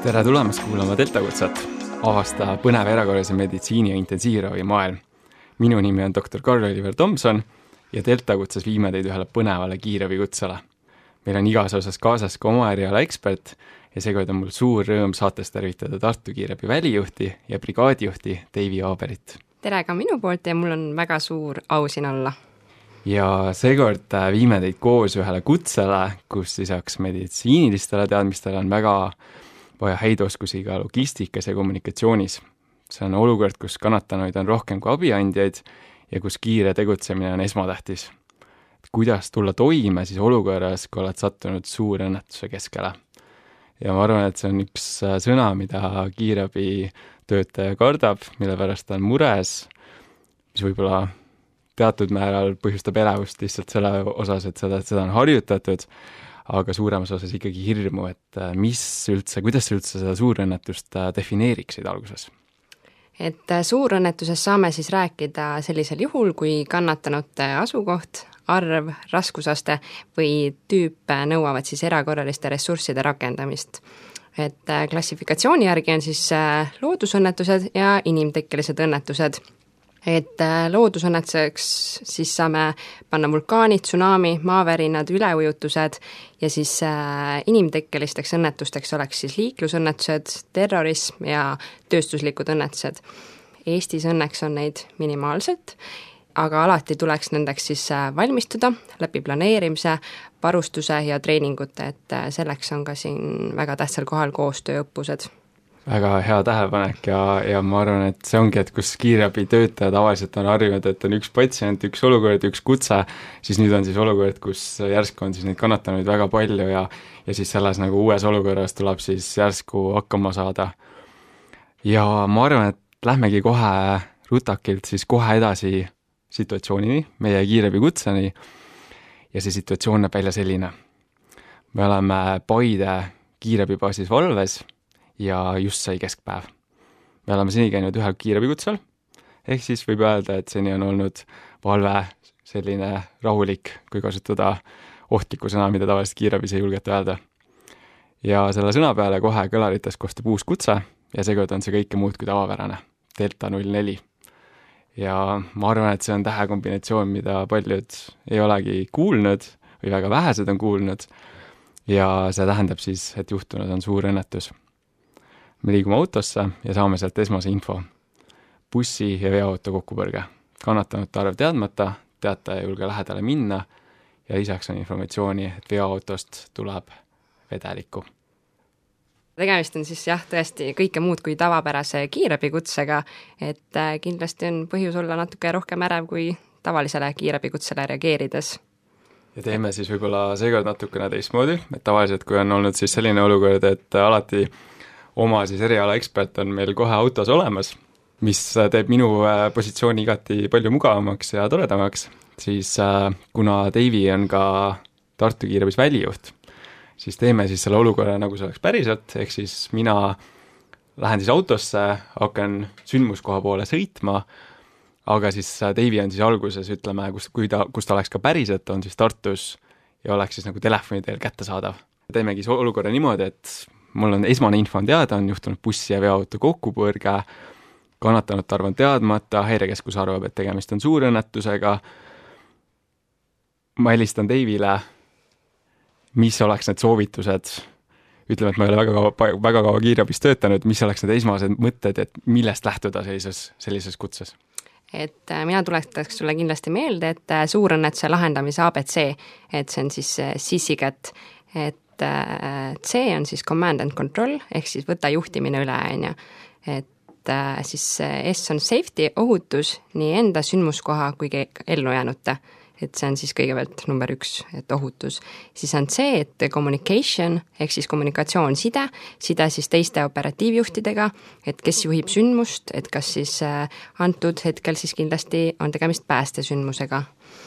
Tere tulemast kuulama Delta Kutset, avasta põnev erakorralise meditsiini ja intensiivravi maailm. Minu nimi on doktor Karl-Oliver Tomson ja Delta Kutses viime teid ühele põnevale kiirabikutsele. Meil on igas osas kaasas ka oma eriala ekspert ja seekord on mul suur rõõm saates tervitada Tartu kiirabi välijuhti ja brigaadijuhti Deivi Aaberit. Tere ka minu poolt ja mul on väga suur au siin olla. Ja seekord viime teid koos ühele kutsele, kus lisaks meditsiinilistele teadmistele on väga vaja häid oskusi ka logistikas ja kommunikatsioonis. See on olukord, kus kannatanuid on rohkem kui abiandjaid ja kus kiire tegutsemine on esmatähtis. Kuidas tulla toime siis olukorras, kui oled sattunud suure õnnetuse keskele? Ja ma arvan, et see on üks sõna, mida kiirabi töötaja kardab, mille pärast ta on mures, mis võib-olla teatud määral põhjustab elevust lihtsalt selle osas, et seda on harjutatud, aga suuremas osas ikkagi hirmu, et kuidas üldse seda suurõnnetust defineeriksid alguses? Et suurõnnetuses saame siis rääkida sellisel juhul, kui kannatanute asukoht, arv, raskusaste või tüüp nõuavad siis erakorraliste ressursside rakendamist. Et klassifikatsiooni järgi on siis loodusõnnetused ja inimtekkelised õnnetused. Et loodusõnnetuseks siis saame panna vulkaanid, tsunami, maavärinad, üleujutused ja siis inimtekkelisteks õnnetusteks oleks siis liiklusõnnetused, terrorism ja tööstuslikud õnnetused. Eestis õnneks on neid minimaalselt, aga alati tuleks nendeks siis valmistuda läbi planeerimise, varustuse ja treeningute, et selleks on ka siin väga tähtsal kohal koostööõppused. Väga hea tähelepanek ja ma arvan, et see ongi, et kus kiirabi töötaja tavaliselt on harjunud, et on üks patsient, üks olukord, üks kutse, siis nüüd on siis olukord, kus järsku on siis neid kannatanuid väga palju ja siis selles nagu uues olukorras tuleb siis järsku hakkama saada. Ja ma arvan, et lähmegi kohe rutakilt siis kohe edasi situatsioonini, meie kiirabi kutseni ja see situatsioon näeb välja selline. Me oleme Paide kiirabibaasis valves ja just sai keskpäev. Me oleme seni käinud ühel kiirabikutsel, ehk siis võib öelda, et seni on olnud valve selline rahulik, kui kasutada ohtliku sõna, mida tavaliselt kiirabis ei julgeta öelda. Ja selle sõna peale kohe kõlarites kostab uus kutse ja seekord on see kõike muud kui tavapärane, Delta 04. Ja ma arvan, et see on tähekombinatsioon, mida paljud ei olegi kuulnud või väga vähesed on kuulnud ja see tähendab siis, et juhtunud on suur õnnetus. Me liigume autosse ja saame sealt esmase info. Bussi ja veoauto kokkupõrge. Kannatanute arv teadmata, teataja ei julge lähedale minna ja lisaks on informatsiooni, et veoautost tuleb vedelikku. Tegemist on siis tõesti kõike muud kui tavapärase kiirabikutsega, et kindlasti on põhjus olla natuke rohkem ärev kui tavalisele kiirabikutsele reageerides. Ja teeme siis võib-olla seekord natukene teistmoodi, et tavaliselt kui on olnud siis selline olukord, et alati oma siis eriala ekspert on meil kohe autos olemas, mis teeb minu positsiooni igati palju mugavamaks ja toredamaks, siis kuna Deivi on ka Tartu kiirabis välijuht, siis teeme siis selle olukorra nagu see oleks päriselt, ehk siis mina lähen siis autosse, hakkan sündmuskoha poole sõitma, aga siis Deivi on siis alguses, ütleme, kus ta oleks ka päriselt, on siis Tartus ja oleks siis nagu telefoni teel kättesaadav. Teemegi olukorra niimoodi, et mul on esmane info on teada, on juhtunud bussi ja veoauto kokkupõrge, kannatanute arv on teadmata, häirekeskus arvab, et tegemist on suurõnnetusega. Ma helistan Deivile, mis oleks need soovitused, ütleme, et ma ei ole väga kaua kiirabis töötanud, mis oleks need esmased mõtted, et millest lähtuda sellises kutses? Et mina tuletaks sulle kindlasti meelde, et suurõnnetuse lahendamise ABC, et see on siis SISIGET, et C on siis command and control, ehk siis võta juhtimine üle, et siis S on safety, ohutus, nii enda sündmuskoha kui ellujäänute, et see on siis kõigepealt number 1, et ohutus. Siis on C, et communication, ehk siis kommunikatsioon, side siis teiste operatiivjuhtidega, et kes juhib sündmust, et kas siis antud hetkel siis kindlasti on tegemist päästesündmusega.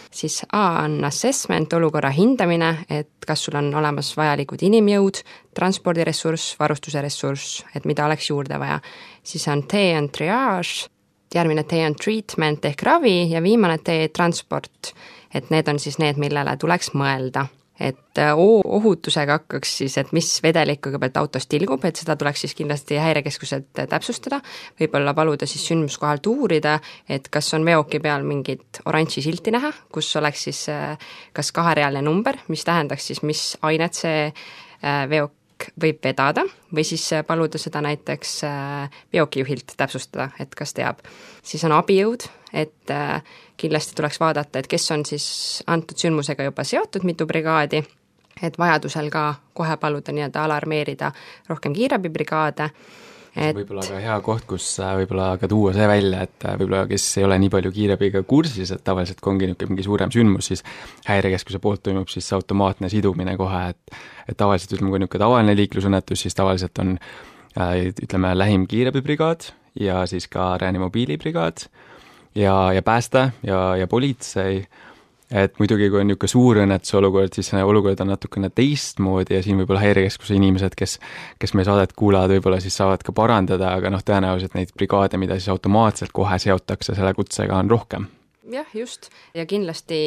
Siis A on assessment, olukorra hindamine, et kas sul on olemas vajalikud inimjõud, transpordiressurss, varustuse ressurss, et mida oleks juurde vaja. Siis on T on triage, järgmine T on treatment ehk ravi ja viimane T transport, et need on siis need, millele tuleks mõelda. et ohutusega hakkaks siis, et mis vedelik kõigepealt autost tilgub, et seda tuleks siis kindlasti häirekeskuselt täpsustada, võib-olla paluda siis sündmuskohalt uurida, et kas on veoki peal mingit oranži silti näha, kus oleks siis kas kaherealine number, mis tähendaks siis, mis ainet see veok võib vedada või siis paluda seda näiteks veokijuhilt täpsustada, et kas teab. Siis on abijõud, et kindlasti tuleks vaadata, et kes on siis antud sündmusega juba seotud, mitu brigaadi, et vajadusel ka kohe paluda nii-öelda alarmeerida rohkem kiirabibrigaade. Võib-olla ka hea koht, kus võib-olla ka tuua see välja, et võib-olla kes ei ole nii palju kiirabiga kursis, et tavaliselt kui ongi mingi suurem sündmus, siis häirekeskuse poolt toimub siis automaatne sidumine kohe, et tavaliselt ütleme, kui niisugune tavaline liiklusõnnetus, siis tavaliselt on ütleme lähim kiirabibrigaad ja siis ka reanimobiilibrigaad ja pääste ja politsei. Et muidugi, kui on niisugune suur õnnetuse olukord, siis see olukord on natukene teistmoodi ja siin võib-olla häirekeskuse inimesed, kes meie saadet kuulavad, võib-olla siis saavad ka parandada, aga tõenäoliselt neid brigaade, mida siis automaatselt kohe seotakse selle kutsega, on rohkem. Jah, just. Ja kindlasti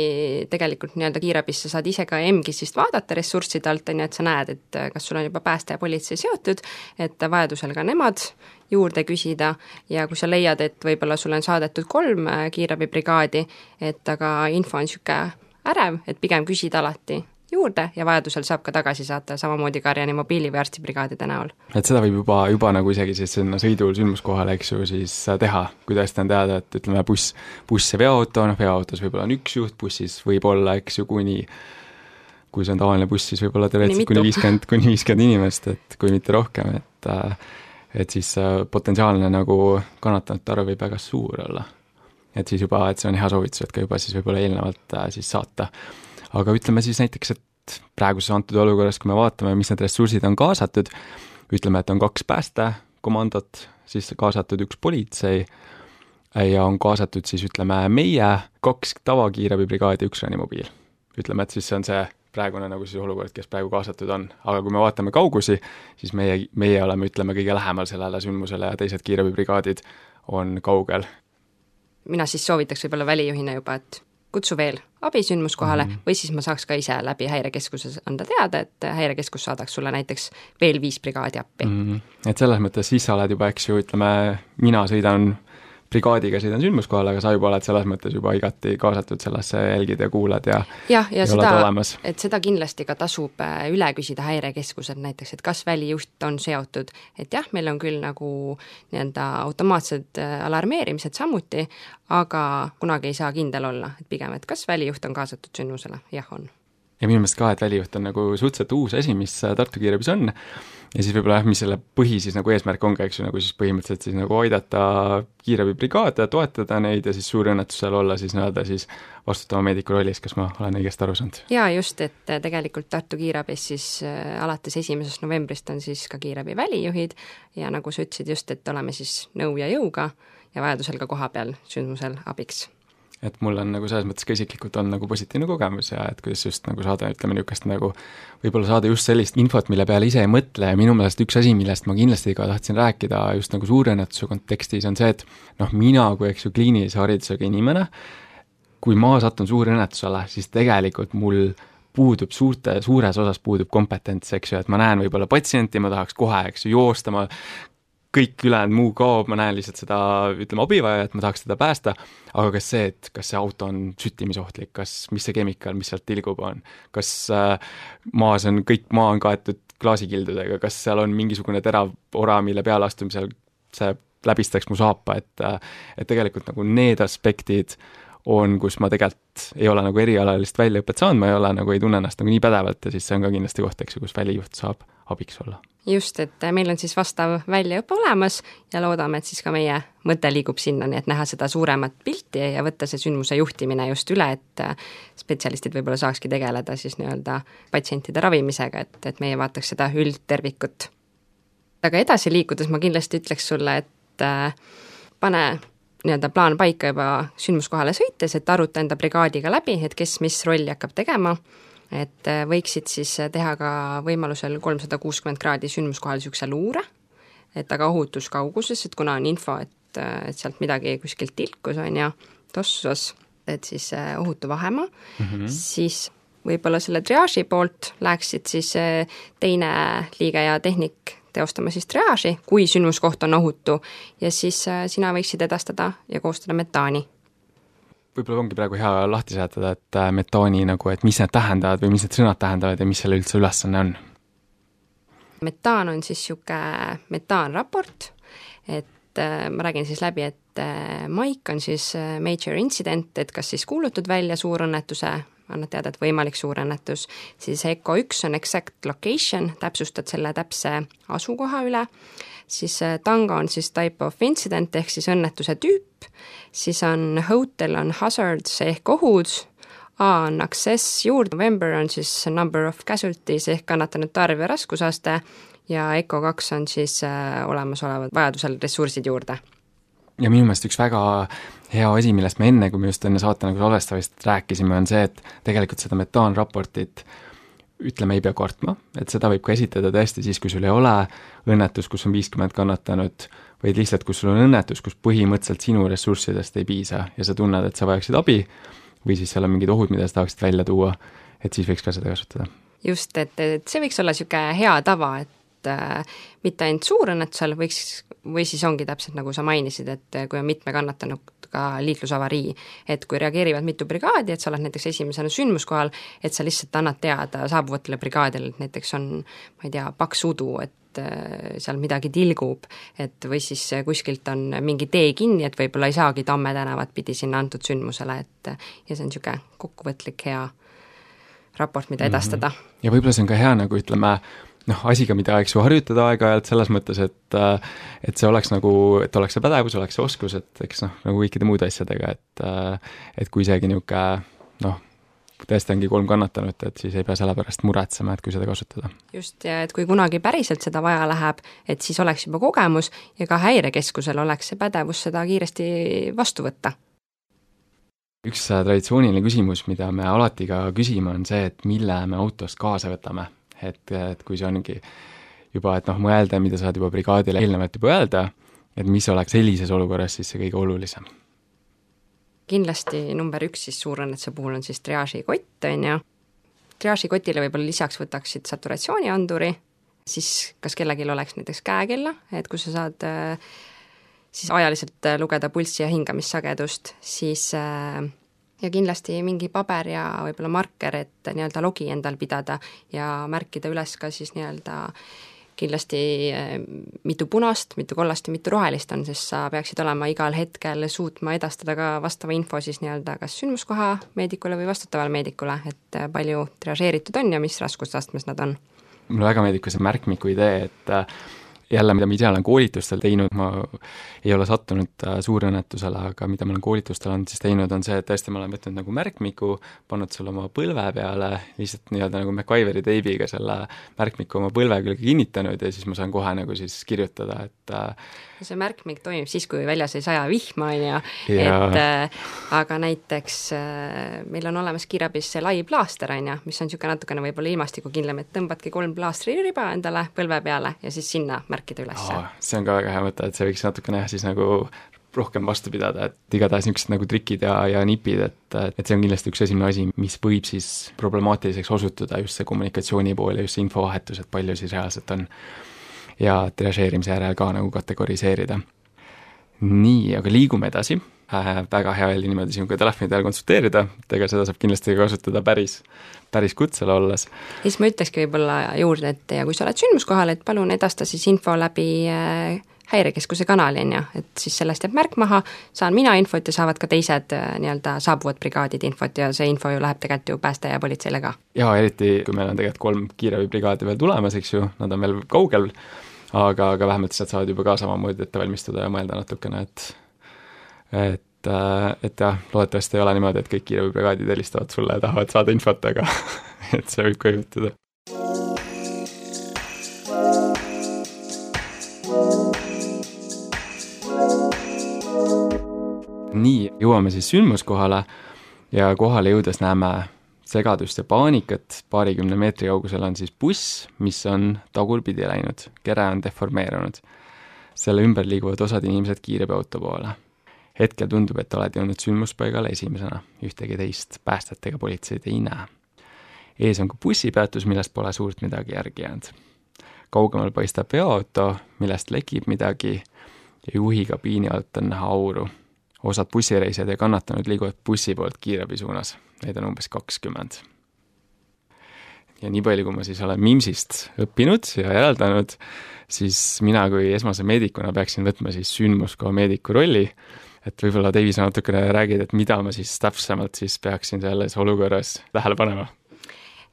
tegelikult nii-öelda kiirabisse saad ise ka EMGIS-ist vaadata ressursside alt, et sa näed, et kas sul on juba pääste ja politsei seotud, et vajadusel ka nemad juurde küsida ja kui sa leiad, et võib-olla sul on saadetud 3 kiirabibrigaadi, et aga info on niisugune ärev, et pigem küsida alati juurde ja vajadusel saab ka tagasi saata, samamoodi ka reanimobiili või arstibrigaadide näol. Et seda võib juba nagu isegi siis sinna sõidul sündmuskohale, eks ju, siis teha, kui tõesti on teada, et ütleme buss ja veoauto, veoautos võib-olla on üks juht, bussis võib olla, eks ju, kui see on tavaline buss, siis võib olla teoreetiliselt kuni 50 inimest, et kui mitte rohkem, et siis potentsiaalne nagu kannatanute arv võib väga suur olla. Et siis juba, et see on hea soovitus, et ka juba siis võib-olla eelnevalt siis saata. Aga ütleme siis näiteks, et praeguses antud olukorras, kui me vaatame, mis need ressursid on kaasatud, ütleme, et on 2 päästekomandot, siis kaasatud 1 politsei ja on kaasatud siis ütleme meie 2 tavakiirabibrigaadi ja 1 reanimobiil. Ütleme, et siis see on see praegune nagu siis olukord, kes praegu kaasatud on. Aga kui me vaatame kaugusi, siis meie oleme, ütleme, kõige lähemal sellele sündmusele ja teised kiirabibrigaadid on kaugel. Mina siis soovitaks võib-olla välijuhina juba, et kutsu veel abisündmuskohale või siis ma saaks ka ise läbi häirekeskuses anda teada, et häirekeskus saadaks sulle näiteks veel 5 brigaadi appi. Et selles mõttes siis sa oled juba, eks ju, ütleme, mina sõidan brigaadiga sõidan sündmuskohale, aga sa juba oled selles mõttes juba igati kaasatud sellesse, jälgid ja kuulad ja seda, olemas. Et seda kindlasti ka tasub üle küsida häirekeskused näiteks, et kas välijuht on seotud, et jah, meil on küll nagu nii- öelda automaatsed alarmeerimised samuti, aga kunagi ei saa kindel olla, et pigem, et kas välijuht on kaasatud sündmusele, jah on. Ja minu meelest ka, et välijuht on nagu suhteliselt uus asi, mis Tartu kiirabis on ja siis võib-olla mis selle põhi siis nagu eesmärk on ka, eks ju, nagu siis põhimõtteliselt siis nagu aidata kiirabibrigaade, toetada neid ja siis suur õnnetusel olla siis nii-öelda siis vastutava meediku rollis, kas ma olen õigesti aru saanud? Jaa, just, et tegelikult Tartu kiirabis siis alates 1. novembrist on siis ka kiirabi välijuhid ja nagu sa ütlesid just, et oleme siis nõu ja jõuga ja vajadusel ka kohapeal sündmusel abiks. Et mul on nagu selles mõttes ka isiklikult on nagu positiivne kogemus ja et kuidas just nagu saada, ütleme niisugust nagu võib-olla saada just sellist infot, mille peale ise ei mõtle ja minu meelest üks asi, millest ma kindlasti ka tahtsin rääkida just nagu suurõnnetuse kontekstis on see, et mina kui eks ju kliinilise haridusega inimene, kui ma satun suurõnnetusele, siis tegelikult mul puudub suures osas puudub kompetents, eks ju, et ma näen võib-olla patsienti, ma tahaks kohe, eks ju, joosta, ma kõik ülejäänud muu kaob, ma näen lihtsalt seda, ütleme, abivajajat, ma tahaks teda päästa, aga kas see auto on süttimisohtlik, mis see kemikaal, mis sealt tilgub on, kas kõik maa on kaetud klaasikildudega, kas seal on mingisugune terav ora, mille peale astumisel see läbistaks mu saapa, et tegelikult nagu need aspektid on, kus ma tegelikult ei ole nagu erialalist väljaõpet saanud, ma ei tunne ennast nagu nii pädevalt ja siis see on ka kindlasti koht, eks ju, kus välijuht saab abiks olla. Just, et meil on siis vastav väljaõpe olemas ja loodame, et siis ka meie mõte liigub sinna, nii et näha seda suuremat pilti ja võtta see sündmuse juhtimine just üle, et spetsialistid võib-olla saakski tegeleda siis nii-öelda patsientide ravimisega, et meie vaataks seda üldtervikut. Aga edasi liikudes ma kindlasti ütleks sulle, et pane nii-öelda plaan paika juba sündmuskohale sõites, et aruta enda brigaadiga läbi, et kes mis rolli hakkab tegema, et võiksid siis teha ka võimalusel 360 kraadi sündmuskohal niisuguse luure, et aga ohutus kauguses, et kuna on info, et sealt midagi kuskilt tilkus on ja tossus, et siis ohutu vahemaa, siis võib-olla selle triaaži poolt läheksid siis teine liige ja tehnik teostama siis triaaži, kui sündmuskoht on ohutu ja siis sina võiksid edastada ja koostada metaani. Võib-olla ongi praegu hea lahti seletada, et metaani nagu, et mis need tähendavad või mis need sõnad tähendavad ja mis selle üldse ülesanne on? Metaan on siis niisugune metaanraport, et ma räägin siis läbi, et Mike on siis major incident, et kas siis kuulutud välja suurõnnetuse, annad teada, et võimalik suurõnnetus, siis ECO 1 on exact location, täpsustad selle täpse asukoha üle, siis Tango on siis type of incident ehk siis õnnetuse tüüp, siis on hotel on hazards ehk ohud, A on access juurde, November on siis number of casualties ehk kannatanute arv ja raskusaste ja ECO 2 on siis olemasolevad vajadusel ressursid juurde. Ja minu meelest üks väga hea asi, millest me enne, kui me just enne saate nagu salvestavist rääkisime, on see, et tegelikult seda metaanraportit ütleme, ei pea kartma, et seda võib ka esitada tõesti siis, kui sul ei ole õnnetus, kus on 50 kannatanud, vaid lihtsalt, kus sul on õnnetus, kus põhimõtteliselt sinu ressurssidest ei piisa ja sa tunned, et sa vajaksid abi või siis seal on mingid ohud, mida sa tahaksid välja tuua, et siis võiks ka seda kasutada. Just, et see võiks olla niisugune hea tava, et mitte ainult suurõnnetusel võiks, või siis ongi täpselt nagu sa mainisid, et kui on mitme kannatanuga liiklusavarii, et kui reageerivad mitu brigaadi, et sa oled näiteks esimesena sündmuskohal, et sa lihtsalt annad teada saabuvatele brigaadile, et näiteks on, ma ei tea, paks udu, et seal midagi tilgub, et või siis kuskilt on mingi tee kinni, et võib-olla ei saagi Tamme tänavat pidi sinna antud sündmusele, et ja see on niisugune kokkuvõtlik hea raport, mida edastada. Ja võib-olla see on ka hea, nagu ütleme, asiga, mida eks ju harjutada aeg-ajalt selles mõttes, et see oleks nagu, et oleks see pädevus, oleks see oskus, et eks nagu kõikide muude asjadega, et kui isegi niisugune, tõesti ongi 3 kannatanut, et siis ei pea selle pärast muretsema, et kui seda kasutada. Just, ja et kui kunagi päriselt seda vaja läheb, et siis oleks juba kogemus ja ka häirekeskusel oleks see pädevus seda kiiresti vastu võtta. Üks traditsiooniline küsimus, mida me alati ka küsime, on see, et mille me autost kaasa võtame. Et kui see ongi juba, et mõelda, mida saad juba brigaadile eelnevalt juba öelda, et mis oleks sellises olukorras siis see kõige olulisem. Kindlasti number 1 siis suurõnnetuse puhul on siis triaažikott, on ju. Triaažikotile võib-olla lisaks võtaksid saturatsioonianduri, siis kas kellelgi oleks näiteks käekella, et kui sa saad siis ajaliselt lugeda pulssi ja hingamissagedust, siis ja kindlasti mingi paber ja võib-olla marker, et nii-öelda logi endal pidada ja märkida üles ka siis nii-öelda kindlasti mitu punast, mitu kollast ja mitu rohelist on, sest sa peaksid olema igal hetkel suutma edastada ka vastava info siis nii-öelda kas sündmuskoha meedikule või vastutavale meedikule, et palju triažeeritud on ja mis raskusastmes nad on. Mulle väga meeldib ka see märkmiku idee, et jälle, mida ma ise olen koolitustel teinud, ma ei ole sattunud suurõnnetusele, aga mida ma olen koolitustel on siis teinud, on see, et tõesti ma olen võtnud nagu märkmiku, pannud selle oma põlve peale, lihtsalt nii-öelda nagu MacGyveri teibiga selle märkmiku oma põlve külge kinnitanud ja siis ma saan kohe nagu siis kirjutada, et see märkmik toimib siis, kui väljas ei saja vihma, on ju, et aga näiteks meil on olemas kiirabis see lai plaaster, on ju, mis on niisugune natukene võib-olla ilmastikukindlam, et tõmbadki 3 plaastri riba endale põlve peale ja siis sinna märkida üles. See on ka väga hea mõte, et see võiks natukene siis nagu rohkem vastu pidada, et igatahes niisugused nagu trikid ja nipid, et see on kindlasti üks esimene asi, mis võib siis problemaatiliseks osutuda, just see kommunikatsiooni pool ja just see infovahetus, et palju siis reaalselt on ja triažeerimise järel ka nagu kategoriseerida. Nii, aga liigume edasi. Väga hea oli niimoodi sinuga telefoni teel konsulteerida, et ega seda saab kindlasti kasutada päris kutsel olles. Siis ma ütlekski võib-olla juurde, et ja kui sa oled sündmuskohal, et palun edasta siis info läbi häirekeskuse kanali, on ju, et siis sellest jääb märk maha, saan mina infot ja saavad ka teised nii-öelda saabuvad brigaadid infot ja see info ju läheb tegelikult ju pääste ja politseile ka. Ja eriti, kui meil on tegelikult 3 kiirabibrigaadi veel tulemas, eks ju, nad on veel kaugel, aga vähemalt sealt saavad juba ka samamoodi ette valmistuda ja mõelda natukene, et jah, loodetavasti ei ole niimoodi, et kõik kiirabibrigaadid helistavad sulle ja tahavad saada infot, aga et see võib ka juhtuda. Nii, jõuame siis sündmuskohale ja kohale jõudes näeme segadust ja paanikat, 20 meetri kaugusel on siis buss, mis on tagurpidi läinud, kere on deformeerunud. Selle ümber liiguvad osad inimesed kiirabiauto poole. Hetkel tundub, et oled jõudnud sündmuspaigale esimesena, ühtegi teist päästet ega politseid ei näe. ees on ka bussipeatus, millest pole suurt midagi järgi jäänud. Kaugemal paistab veoauto, millest lekib midagi ja juhi kabiini alt on näha auru. Osad bussireisijad ja kannatanud liiguvad bussi poolt kiirabi suunas, neid on umbes 20. Ja nii palju, kui ma siis olen Mimsist õppinud ja järeldanud, siis mina kui esmase meedikuna peaksin võtma siis sündmuskoha meediku rolli, et võib-olla Deivi sa natukene räägid, et mida ma siis täpsemalt siis peaksin selles olukorras tähele panema.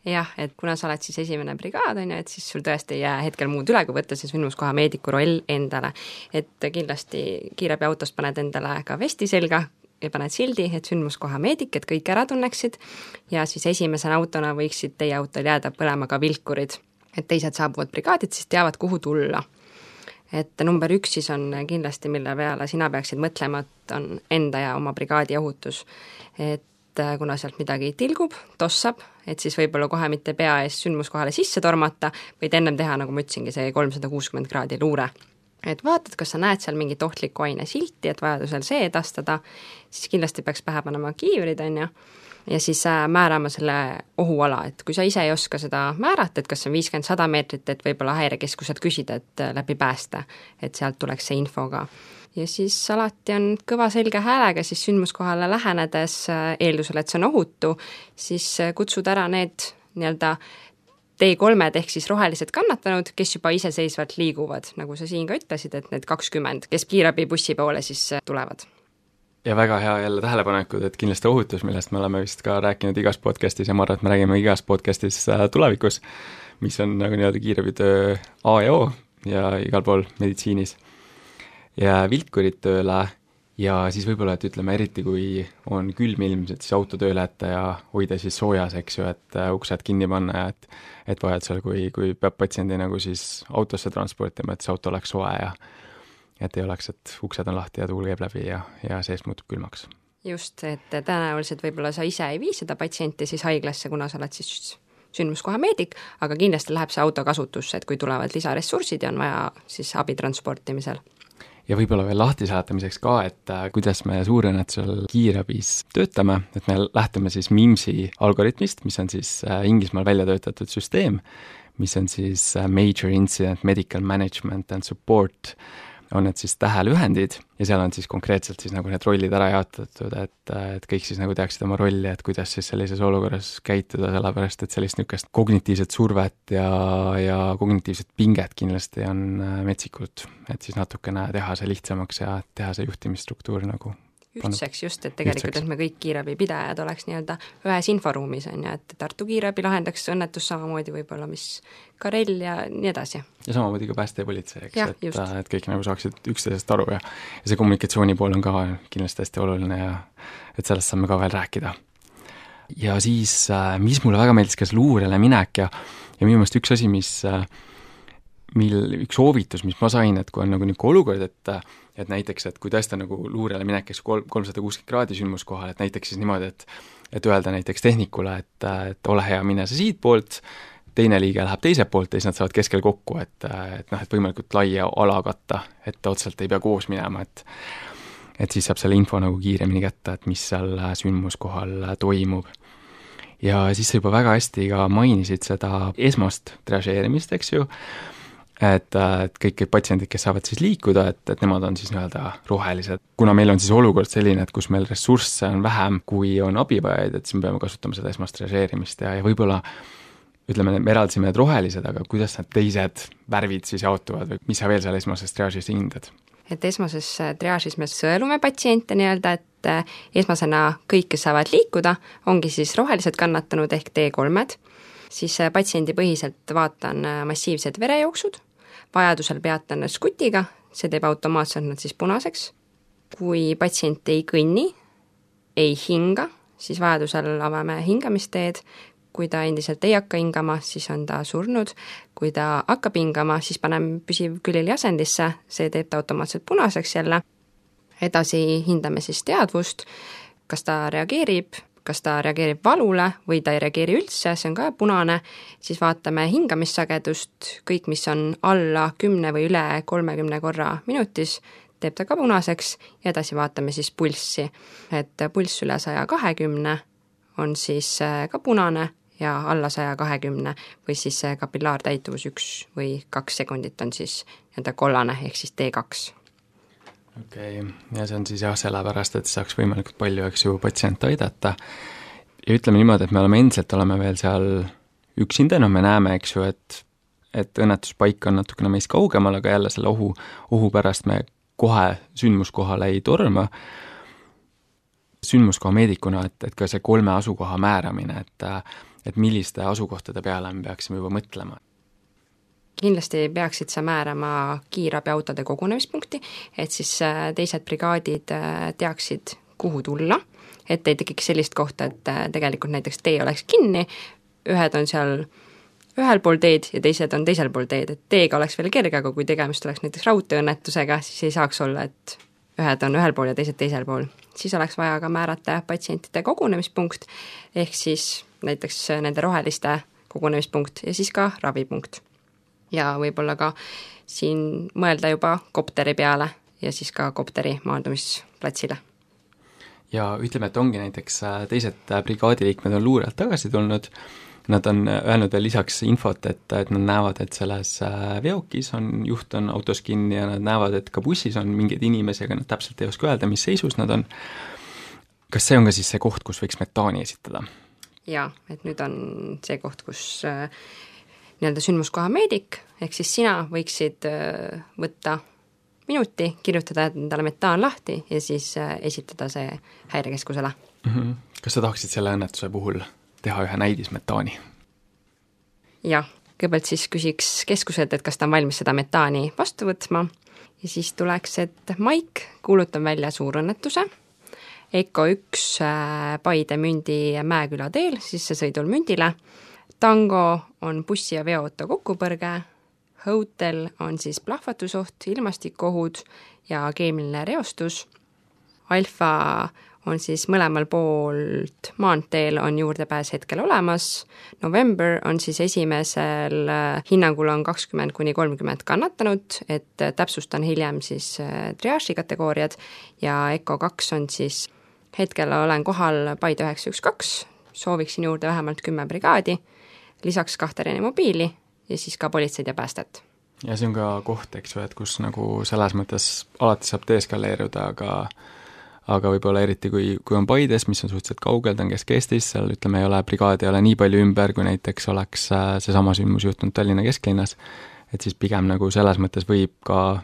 Jah, et kuna sa oled siis esimene brigaad, on ju, et siis sul tõesti ei jää hetkel muud üle, kui võtta see sündmuskoha meediku roll endale. Et kindlasti kiirabiautost paned endale ka vesti selga ja paned sildi, et sündmuskoha meedik, et kõik ära tunneksid ja siis esimesena autona võiksid teie autol jääda põlema ka vilkurid, et teised saabuvad brigaadid, siis teavad, kuhu tulla. Et number 1 siis on kindlasti, mille peale sina peaksid mõtlema, et on enda ja oma brigaadi ohutus. Et kuna sealt midagi tilgub, tossab, et siis võib-olla kohe mitte pea ees sündmuskohale sisse tormata, võid ennem teha, nagu ma ütlesingi, see 360 kraadi luure. Et vaatad, kas sa näed seal mingit ohtliku aine silti, et vajadusel see edastada, siis kindlasti peaks pähe panema kiivrid, on ju, ja siis määrama selle ohuala, et kui sa ise ei oska seda määrata, et kas on 50-100 meetrit, et võib-olla häirekeskuselt küsida, et läbi päästa, et sealt tuleks see info ka. Ja siis alati on kõva selge häälega siis sündmuskohale lähenedes eeldusel, et see on ohutu, siis kutsud ära need nii-öelda T3-d ehk siis rohelised kannatanud, kes juba iseseisvalt liiguvad, nagu sa siin ka ütlesid, et need 20, kes kiirabibussi poole siis tulevad. Ja väga hea jälle tähelepanekud, et kindlasti ohutus, millest me oleme vist ka rääkinud igas podcastis ja ma arvan, et me räägime igas podcastis tulevikus, mis on nagu nii-öelda kiirabitöö A ja O ja igal pool meditsiinis. Ja vilkurid tööle ja siis võib-olla, et ütleme eriti, kui on külm ilm, et siis auto tööle jätta ja hoida siis soojas, eks ju, et uksed kinni panna ja et vajadusel, kui peab patsiendi nagu siis autosse transportima, et see auto oleks soe ja et ei oleks, et uksed on lahti ja tuul käib läbi ja seest muutub külmaks. Just, et tõenäoliselt võib-olla sa ise ei vii seda patsienti siis haiglasse, kuna sa oled siis sündmuskoha meedik, aga kindlasti läheb see auto kasutusse, et kui tulevad lisaressursid ja on vaja siis abi transportimisel. Ja võib-olla veel lahti saatamiseks ka, et kuidas me suurõnnetusel kiirabis töötame, et me lähtume siis MIMSi algoritmist, mis on siis Inglismaal välja töötatud süsteem, mis on siis Major Incident Medical Management and Support, on need siis tähelühendid ja seal on siis konkreetselt siis nagu need rollid ära jaotatud, et kõik siis nagu teaksid oma rolli, et kuidas siis sellises olukorras käituda, sellepärast et sellist niisugust kognitiivset survet ja kognitiivset pinget kindlasti on metsikult, et siis natukene teha see lihtsamaks ja teha see juhtimisstruktuur nagu ühtseks just, et tegelikult, et me kõik kiirabipidajad oleks nii-öelda ühes inforuumis, on ju, et Tartu kiirabi lahendaks õnnetus samamoodi võib-olla, mis Karel ja nii edasi. Ja samamoodi ka pääste ja politsei, eks, et kõik nagu saaksid üksteisest aru ja see kommunikatsiooni pool on ka kindlasti hästi oluline ja et sellest saame ka veel rääkida. Ja siis, mis mulle väga meeldis, kas luurele minek ja minu meelest üks asi, üks soovitus, mis ma sain, et kui on nagu niisugune olukord, et näiteks, et kui tõesti nagu luurele minekaks 360 kraadi sündmuskohal, et näiteks siis niimoodi, et öelda näiteks tehnikule, et ole hea, mine sa siit poolt, teine liige läheb teiselt poolt ja siis nad saavad keskel kokku, et võimalikult laia ala katta, et otseselt ei pea koos minema, et siis saab selle info nagu kiiremini kätte, et mis seal sündmuskohal toimub. Ja siis sa juba väga hästi ka mainisid seda esmast triažeerimist, eks ju, et kõik patsiendid, kes saavad siis liikuda, et nemad on siis nii-öelda rohelised. Kuna meil on siis olukord selline, et kus meil ressursse on vähem, kui on abivajajaid, et siis me peame kasutama seda esmast triažeerimist ja võib-olla ütleme, me eraldasime need rohelised, aga kuidas need teised värvid siis jaotuvad või mis sa veel seal esmases triaažis hindad? Et esmases triaažis me sõelume patsiente nii-öelda, et esmasena kõik, kes saavad liikuda, ongi siis rohelised kannatanud ehk T3-d, siis patsiendi põhiselt vaatan massiivsed verejooksud, vajadusel peatan skutiga, see teeb automaatselt nad siis punaseks. Kui patsient ei kõnni, ei hinga, siis vajadusel avame hingamisteed. Kui ta endiselt ei hakka hingama, siis on ta surnud. Kui ta hakkab hingama, siis paneme püsivkülili asendisse, see teeb ta automaatselt punaseks jälle. Edasi hindame siis teadvust, kas ta reageerib valule või ta ei reageeri üldse, see on ka punane, siis vaatame hingamissagedust, kõik, mis on alla 10 või üle 30 korra minutis, teeb ta ka punaseks ja edasi vaatame siis pulssi, et pulss üle 120 on siis ka punane ja alla 120 või siis see kapillaartäituvus 1 või 2 sekundit on siis nii-öelda kollane ehk siis T2. Okei, ja see on siis jah, sellepärast, et saaks võimalikult palju, eks ju, patsiente aidata. Ja ütleme niimoodi, et me oleme veel seal üksinda, me näeme, eks ju, et õnnetuspaik on natukene meist kaugemal, aga jälle selle ohu pärast me kohe sündmuskohale ei torma. Sündmuskoha meedikuna, et ka see 3 asukoha määramine, et milliste asukohtade peale me peaksime juba mõtlema. Kindlasti peaksid sa määrama kiirabiautode kogunemispunkti, et siis teised brigaadid teaksid, kuhu tulla, et ei tekiks sellist kohta, et tegelikult näiteks tee oleks kinni, ühed on seal ühel pool teed ja teised on teisel pool teed, et teega oleks veel kerge, aga kui tegemist oleks näiteks raudteeõnnetusega, siis ei saaks olla, et ühed on ühel pool ja teised teisel pool. Siis oleks vaja ka määrata patsientide kogunemispunkt, ehk siis näiteks nende roheliste kogunemispunkt ja siis ka ravipunkt. Ja võib-olla ka siin mõelda juba kopteri peale ja siis ka kopteri maandumisplatsile. Ja ütleme, et ongi näiteks teised brigaadiliikmed on luurelt tagasi tulnud, nad on öelnud veel lisaks infot, et nad näevad, et selles veokis juht on autos kinni ja nad näevad, et ka bussis on mingeid inimesi, aga nad täpselt ei oska öelda, mis seisus nad on. Kas see on ka siis see koht, kus võiks metaani esitada? Jaa, et nüüd on see koht, kus nii-öelda sündmuskoha meedik, ehk siis sina võiksid võtta minuti, kirjutada endale metaan lahti ja siis esitada see häirekeskusele. Kas sa tahaksid selle õnnetuse puhul teha ühe näidismetaani? Jah, kõigepealt siis küsiks keskuselt, et kas ta on valmis seda metaani vastu võtma ja siis tuleks, et Maik kuulutab välja suurõnnetuse, EKO 1 Paide Mündi Mäeküla teel, sissesõidul Mündile, Tango on bussi ja veoauto kokkupõrge, Hotel on siis plahvatusoht, ilmastikuohud ja keemiline reostus, Alfa on siis mõlemal poolt maanteel on juurdepääs hetkel olemas, November on siis esimesel hinnangul on 20–30 kannatanud, et täpsustan hiljem siis triaaži kategooriad ja EKO 2 on siis hetkel olen kohal Paide 912, sooviksin juurde vähemalt 10 brigaadi, lisaks 2 reanimobiili ja siis ka politseid ja päästet. Ja see on ka koht, eks ju, et kus nagu selles mõttes alati saab deeskaleeruda, aga võib-olla eriti kui on Paides, mis on suhteliselt kaugel, ta on Kesk-Eestis, seal ütleme, ei ole brigaadi, ei ole nii palju ümber, kui näiteks oleks seesama sündmus juhtunud Tallinna kesklinnas, et siis pigem nagu selles mõttes võib ka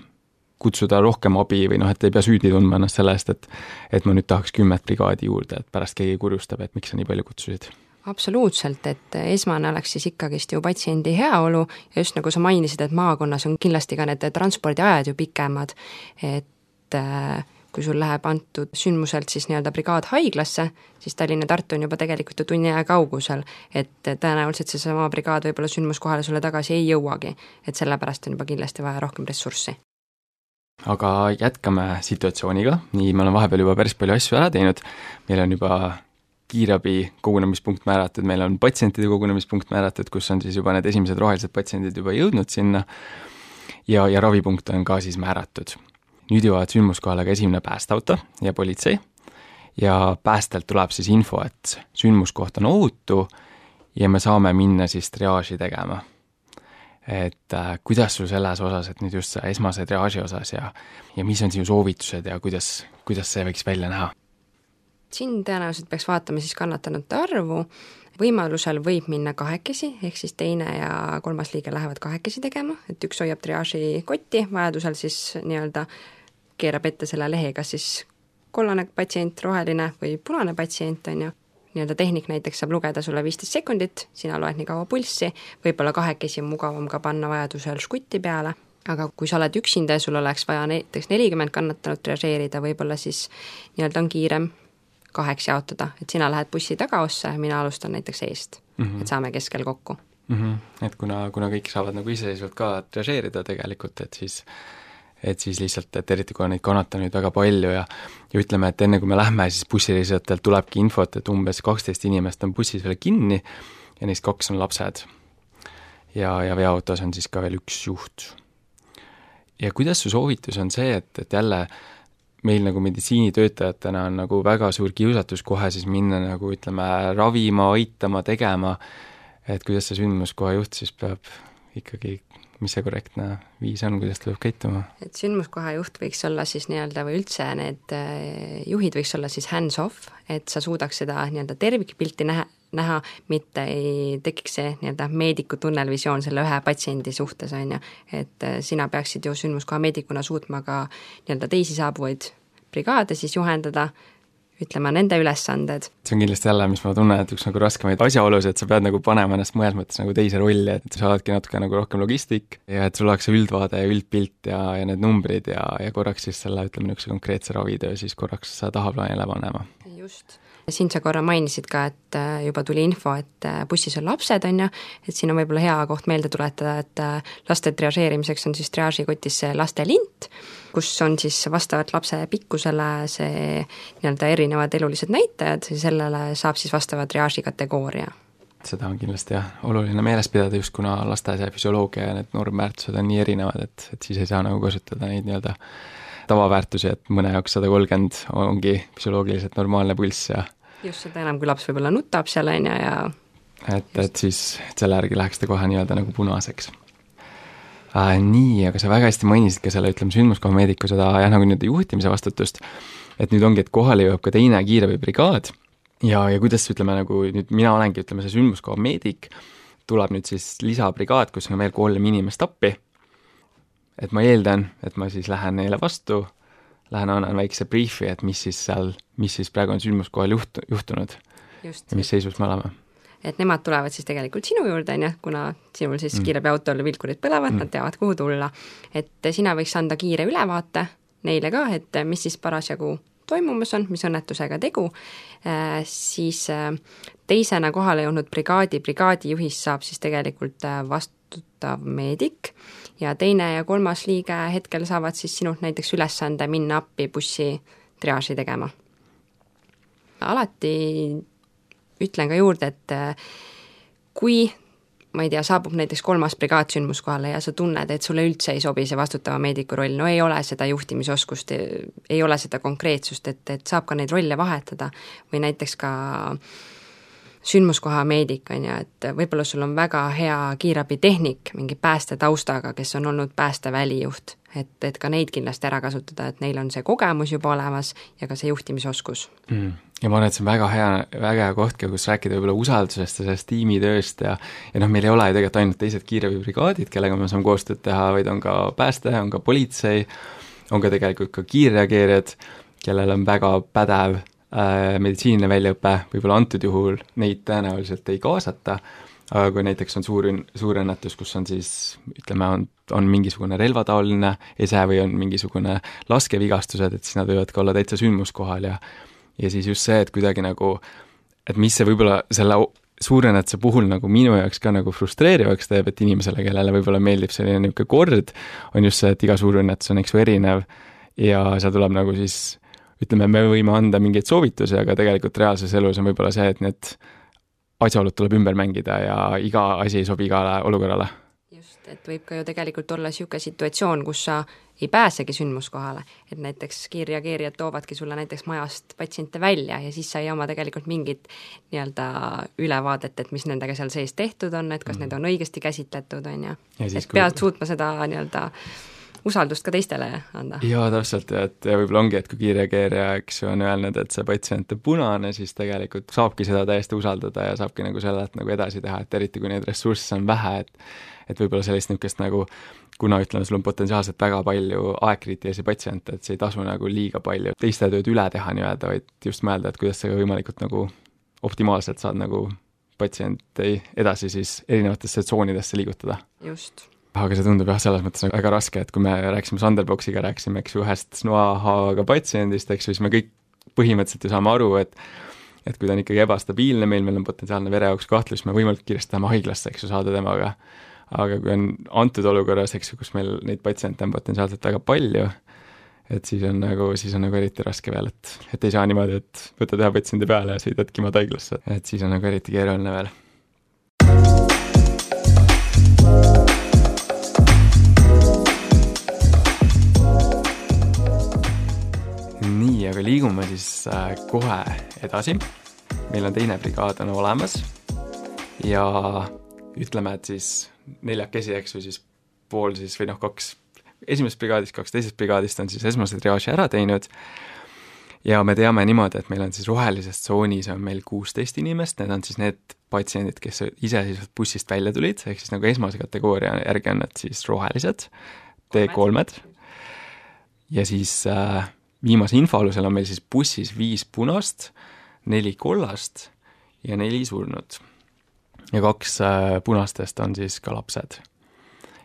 kutsuda rohkem abi või et ei pea süüdi tundma ennast selle eest, et ma nüüd tahaks 10 brigaadi juurde, et pärast keegi kurjustab, et miks sa nii palju kutsusid. Absoluutselt, et esmane oleks siis ikkagist ju patsiendi heaolu ja just nagu sa mainisid, et maakonnas on kindlasti ka need transpordiajad ju pikemad, et kui sul läheb antud sündmuselt siis nii-öelda brigaad haiglasse, siis Tallinna Tartu on juba tegelikult ju tunni aja kaugusel, et tõenäoliselt see sama brigaad võib-olla sündmuskohale sulle tagasi ei jõuagi, et sellepärast on juba kindlasti vaja rohkem ressurssi. Aga jätkame situatsiooniga, nii me oleme vahepeal juba päris palju asju ära teinud, meil on juba kiirabi kogunemispunkt määratud, meil on patsientide kogunemispunkt määratud, kus on siis juba need esimesed rohelised patsiendid juba jõudnud sinna ja ravipunkt on ka siis määratud. Nüüd jõuavad sündmuskohale ka esimene päästeauto ja politsei ja päästelt tuleb siis info, et sündmuskoht on ohutu ja me saame minna siis triaaži tegema. Et kuidas sul selles osas, et nüüd just see esmase triaaži osas ja mis on sinu soovitused ja kuidas see võiks välja näha? Siin tõenäoliselt peaks vaatama siis kannatanute arvu, võimalusel võib minna kahekesi, ehk siis teine ja kolmas liige lähevad kahekesi tegema, et üks hoiab triaaži kotti, vajadusel siis nii-öelda keerab ette selle lehe, kas siis kollane patsient, roheline või punane patsient on ju, nii-öelda tehnik näiteks saab lugeda sulle 15 sekundit, sina loed nii kaua pulssi, võib-olla kahekesi on mugavam ka panna vajadusel škutti peale, aga kui sa oled üksinda ja sul oleks vaja näiteks 40 kannatanut triaažeerida, võib-olla siis nii-öelda on kiirem 2 jaotada, et sina lähed bussi tagaossa ja mina alustan näiteks eest, et saame keskel kokku. Et kuna kõik saavad nagu iseseisvalt ka triaažeerida tegelikult, et siis lihtsalt, et eriti kui on neid kannatanuid väga palju ja ütleme, et enne kui me lähme, siis bussireisijatelt tulebki infot, et umbes 12 inimest on bussis veel kinni ja neist 2 on lapsed. Ja veoautos on siis ka veel 1 juht. Ja kuidas su soovitus on see, et jälle meil nagu meditsiinitöötajatena on nagu väga suur kiusatus kohe siis minna nagu ütleme ravima, aitama, tegema, et kuidas see sündmuskoha juht siis peab ikkagi, mis see korrektne viis on, kuidas ta peab käituma? Et sündmuskoha juht võiks olla siis nii-öelda või üldse need juhid võiks olla siis hands-off, et sa suudaks seda nii-öelda tervikpilti näha, mitte ei tekiks see nii-öelda meediku tunnelvisioon selle ühe patsiendi suhtes, on ju. Et sina peaksid ju sündmuskoha meedikuna suutma ka nii-öelda teisi saabuvaid brigaade siis juhendada, ütlema nende ülesanded. See on kindlasti jälle, mis ma tunnen, et üks nagu raskemaid asjaolusi, et sa pead nagu panema ennast mõnes mõttes nagu teise rolli, et sa oledki natuke nagu rohkem logistik ja et sul oleks see üldvaade ja üldpilt ja need numbrid ja korraks siis selle, ütleme, niisuguse konkreetse ravitöö siis korraks tahaplaanile panema. Just. Siin sa korra mainisid ka, et juba tuli info, et bussis on lapsed, on ju, et siin on võib-olla hea koht meelde tuletada, et laste triažeerimiseks on siis triažikotis see lastelint, kus on siis vastavalt lapse pikkusele see nii-öelda erinevad elulised näitajad ja sellele saab siis vastava triaži kategooria. Seda on kindlasti jah, oluline meeles pidada just kuna laste see füsioloogia ja need normväärtused on nii erinevad, et siis ei saa nagu kasutada neid nii-öelda tavaväärtusi, et mõne jaoks 130 ongi füsioloogiliselt normaalne pulss ja just seda enam, kui laps võib-olla nutab seal on ja et siis selle järgi läheks ta kohe nii-öelda nagu punaseks. Nii, aga sa väga hästi mainisid ka selle, ütleme, sündmuskoha meediku seda jah, nagu nüüd juhtimise vastutust, et nüüd ongi, et kohale jõuab ka teine kiirabibrigaad ja kuidas, ütleme, nagu nüüd mina olengi, ütleme, see sündmuskoha meedik, tuleb nüüd siis lisabrigaad, kus on veel 3 inimest appi, et ma eeldan, et ma siis lähen neile vastu, annan väikse briefi, et mis siis praegu on sündmuskohal juhtunud just. Ja mis seisus me oleme. Et nemad tulevad siis tegelikult sinu juurde, on ju, kuna sinul siis kiirabiautol vilkurid põlevad, nad teavad, kuhu tulla. Et sina võiks anda kiire ülevaate neile ka, et mis siis parasjagu toimumas on, mis õnnetusega tegu, siis teisena kohale jõudnud brigaadijuhist saab siis tegelikult vastutav meedik ja teine ja 3. liige hetkel saavad siis sinult näiteks ülesande minna appi bussi triaaži tegema. Alati ütlen ka juurde, et kui, ma ei tea, saabub näiteks 3. brigaad sündmuskohale ja sa tunned, et sulle üldse ei sobi see vastutava meediku roll, no ei ole seda juhtimisoskust, ei ole seda konkreetsust, et saab ka neid rolle vahetada või näiteks ka sündmuskoha meedik, on ju, et võib-olla sul on väga hea kiirabitehnik, mingi pääste taustaga, kes on olnud päästevälijuht, et ka neid kindlasti ära kasutada, et neil on see kogemus juba olemas ja ka see juhtimisoskus. Ja ma arvan, et see on väga hea koht, kus rääkida võib-olla usaldusest ja sellest tiimitööst ja meil ei ole ju tegelikult ainult teised kiirabibrigaadid, kellega me saame koostööd teha, vaid on ka pääste, on ka politsei, on ka tegelikult ka kiirreageerijad, kellel on väga pädev meditsiiniline väljaõpe, võib-olla antud juhul neid tõenäoliselt ei kaasata, aga kui näiteks on suur õnnetus, kus on siis, ütleme, on mingisugune relvataoline ese või on mingisugune laskevigastused, et siis nad võivad ka olla täitsa sündmuskohal ja siis just see, et kuidagi nagu, et mis see võib-olla selle suurõnnetuse puhul nagu minu jaoks ka nagu frustreerivaks teeb, et inimesele, kellele võib-olla meeldib selline niisugune kord, on just see, et iga suurõnnetus on eks erinev ja seal tuleb nagu siis ütleme, me võime anda mingeid soovitusi, aga tegelikult reaalses elus on võib-olla see, et need asjaolud tuleb ümber mängida ja iga asi ei sobi igale olukorrale. Just, et võib ka ju tegelikult olla niisugune situatsioon, kus sa ei pääsegi sündmuskohale, et näiteks kiirreageerijad toovadki sulle näiteks majast patsiente välja ja siis sa ei oma tegelikult mingit nii-öelda ülevaadet, et mis nendega seal sees tehtud on, et kas need on õigesti käsitletud, on ju. Et pead suutma seda nii-öelda usaldust ka teistele anda. Jaa, täpselt, et võib-olla ongi, et kui kiirreageerija, eks on öelnud, et see patsient on punane, siis tegelikult saabki seda täiesti usaldada ja saabki nagu sellelt nagu edasi teha, et eriti kui neid ressursse on vähe, et võib-olla sellist niisugust nagu, kuna ütleme, sul on potentsiaalselt väga palju aegkriitilisi patsiente, et see ei tasu nagu liiga palju teiste tööd üle teha nii-öelda, vaid just mõelda, et kuidas sa võimalikult nagu optimaalselt saad nagu patsienti edasi siis erinevatesse tsoonidesse liigutada. Just. Aga see tundub jah, selles mõttes väga raske, et kui me rääksime Sanderboxiga, rääksime eks ühest noahaavaga patsiendist, eks siis me kõik põhimõtteliselt ju saame aru, et kui ta on ikkagi ebastabiilne, meil on potentsiaalne vereauks kahtlus, me võimalikult kiiresti tahame haiglasse, eks ju, saada temaga. Aga kui on antud olukorras, eks ju, kus meil neid patsiente on potentsiaalselt väga palju, et siis on nagu eriti raske veel, et ei saa niimoodi, et võtad ühe patsiendi peale ja sõidadki maad haiglasse, et siis on nagu eriti keeruline veel. nii, aga liigume siis kohe edasi. Meil on teine brigaad on olemas ja ütleme, et siis 4 eks või siis pool siis või 2 esimesest brigaadist, 2 teisest brigaadist on siis esmase triaaži ära teinud ja me teame niimoodi, et meil on siis rohelises tsoonis on meil 16 inimest, need on siis need patsiendid, kes iseseisvalt bussist välja tulid, ehk siis nagu esmase kategooria järgi on need siis rohelised, T3-d ja siis viimase info alusel on meil siis bussis 5 punast, 4 kollast ja 4 surnut ja 2 punastest on siis ka lapsed.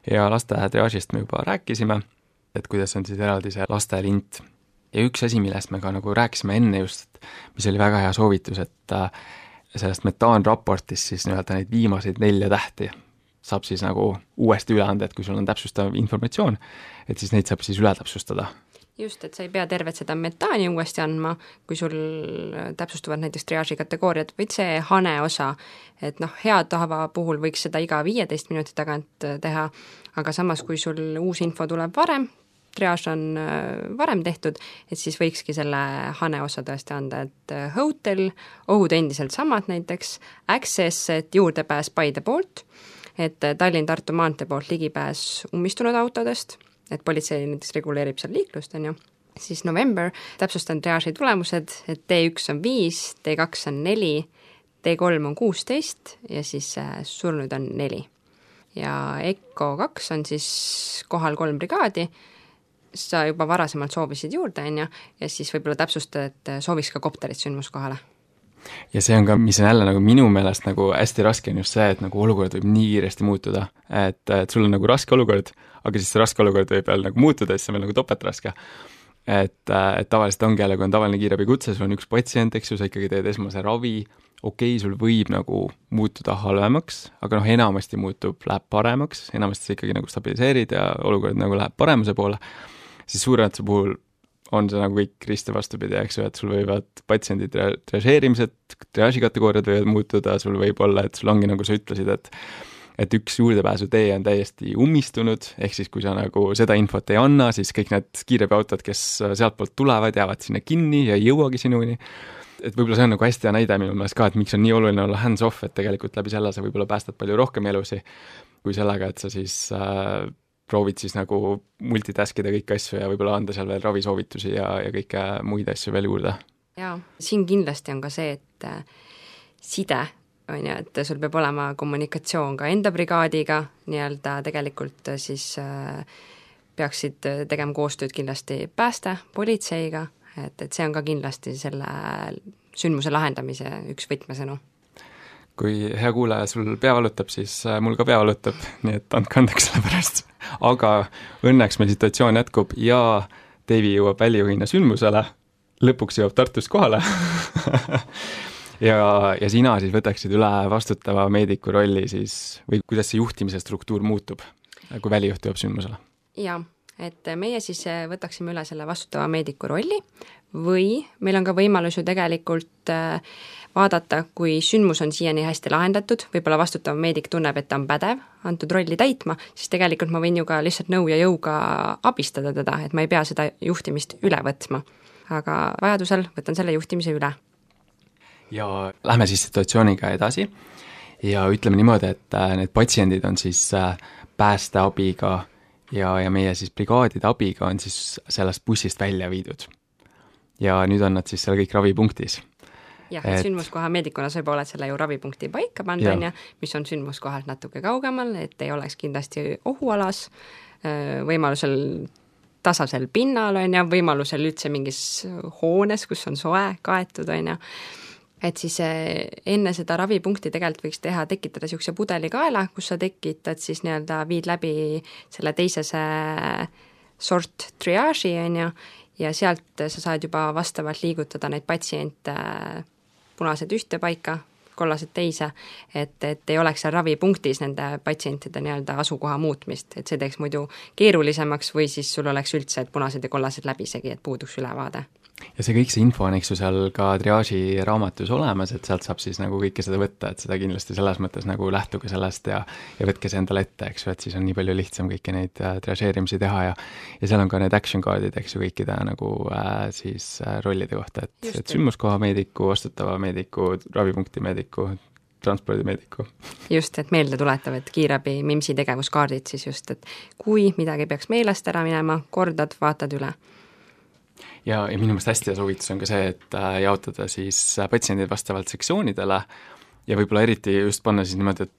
Ja laste triaažist me juba rääkisime, et kuidas on siis eraldi see lastelint. Ja üks asi, millest me ka nagu rääkisime enne just, mis oli väga hea soovitus, et sellest metaanraportist siis nii-öelda neid viimaseid 4 tähti saab siis nagu uuesti üle anda, et kui sul on täpsustav informatsioon, et siis neid saab siis üle täpsustada. Just, et sa ei pea tervet seda metaani uuesti andma, kui sul täpsustuvad näiteks triaaži kategooriad, vaid see hane osa, et hea tava puhul võiks seda iga 15 minuti tagant teha, aga samas, kui sul uus info tuleb varem, triaaž on varem tehtud, et siis võikski selle hane osa tõesti anda, et hotel, ohud endiselt samad näiteks, access, et juurdepääs Paide poolt, et Tallinn-Tartu maantee poolt ligipääs ummistunud autodest, et politsei näiteks reguleerib seal liiklust, on ju. Siis November, täpsustan triaaži tulemused, et T1 on 5, T2 on 4, T3 on 16 ja siis surnud on 4. Ja ECO 2 on siis kohal 3 brigaadi, sa juba varasemalt soovisid juurde, on ju, ja siis võib-olla täpsustad, et sooviks ka kopterit sündmuskohale. Ja see on ka, mis on jälle nagu minu meelest nagu hästi raske on just see, et nagu olukord võib nii kiiresti muutuda, et sul on nagu raske olukord, aga siis see raske olukord võib veel nagu muutuda, siis see on veel nagu topeltraske. Et tavaliselt ongi jälle, kui on tavaline kiirabi kutse, sul on üks patsient, eks ju, sa ikkagi teed esmase ravi, okei, sul võib nagu muutuda halvemaks, aga enamasti läheb paremaks, enamasti sa ikkagi nagu stabiliseerid ja olukord nagu läheb paremuse poole, siis suuremate puhul on see nagu kõik risti vastupidi, eks ju, et sul võivad patsiendi triažeerimised, triaaži kategooriad võivad muutuda, sul võib olla, et sul ongi nagu sa ütlesid, et üks juurdepääsu tee on täiesti ummistunud, ehk siis kui sa nagu seda infot ei anna, siis kõik need kiirabiautod, kes sealtpoolt tulevad, jäävad sinna kinni ja ei jõuagi sinuni. Et võib-olla see on nagu hästi hea näide minu meelest ka, et miks on nii oluline olla hands-off, et tegelikult läbi selle sa võib-olla päästad palju rohkem elusi, kui sellega, et sa siis proovid siis nagu multitaskida kõiki asju ja võib-olla anda seal veel ravisoovitusi ja kõike muid asju veel juurde. Jaa, siin kindlasti on ka see, et side on ju, et sul peab olema kommunikatsioon ka enda brigaadiga, nii-öelda tegelikult siis peaksid tegema koostööd kindlasti pääste, politseiga, et see on ka kindlasti selle sündmuse lahendamise üks võtmesõnu. Kui hea kuulaja sul pea valutab, siis mul ka pea valutab, nii et andke andeks selle pärast. Aga õnneks meil situatsioon jätkub ja Deivi jõuab välijuhina sündmusele, lõpuks jõuab Tartust kohale ja sina siis võtaksid üle vastutava meediku rolli siis, või kuidas see juhtimise struktuur muutub, kui välijuht jõuab sündmusele? Jaa, et meie siis võtaksime üle selle vastutava meediku rolli või meil on ka võimalus ju tegelikult vaadata, kui sündmus on siiani hästi lahendatud, võib-olla vastutav meedik tunneb, et ta on pädev antud rolli täitma, siis tegelikult ma võin ju ka lihtsalt nõu ja jõuga abistada teda, et ma ei pea seda juhtimist üle võtma. Aga vajadusel võtan selle juhtimise üle. Ja lähme siis situatsiooniga edasi ja ütleme niimoodi, et need patsiendid on siis päästeabiga ja meie siis brigaadide abiga on siis sellest bussist välja viidud. Ja nüüd on nad siis seal kõik ravipunktis. Jah, et sündmuskoha meedikuna sa juba oled selle ju ravipunkti paika pandud, mis on sündmuskohalt natuke kaugemal, et ei oleks kindlasti ohualas, võimalusel tasasel pinnal on ja võimalusel üldse mingis hoones, kus on soe kaetud on ja et siis enne seda ravipunkti tegelikult võiks tekitada niisuguse pudelikaela, kus sa tekitad siis nii-öelda viid läbi selle teisese sort triaaži on ja sealt sa saad juba vastavalt liigutada neid patsiente punased ühte paika, kollased teise, et ei oleks seal ravipunktis nende patsientide nii-öelda asukoha muutmist, et see teeks muidu keerulisemaks või siis sul oleks üldse, et punased ja kollased läbisegi, et puuduks ülevaade. ja see kõik see info on, eks ju, seal ka triaaži raamatus olemas, et sealt saab siis nagu kõike seda võtta, et seda kindlasti selles mõttes nagu lähtuge sellest ja võtke see endale ette, eks ju, et siis on nii palju lihtsam kõiki neid triaažeerimisi teha ja seal on ka need action card'id, eks ju, kõikide nagu siis rollide kohta, et sündmuskoha meediku, vastutava meediku, ravipunkti meediku, transpordimeediku. Just, et meelde tuletav, et kiirabi MIMS-i tegevuskaardid siis just, et kui midagi peaks meelest ära minema, kordad, vaatad üle. Ja minu meelest hästi hea soovitus on ka see, et jaotada siis patsiendid vastavalt sektsioonidele ja võib-olla eriti just panna siis niimoodi,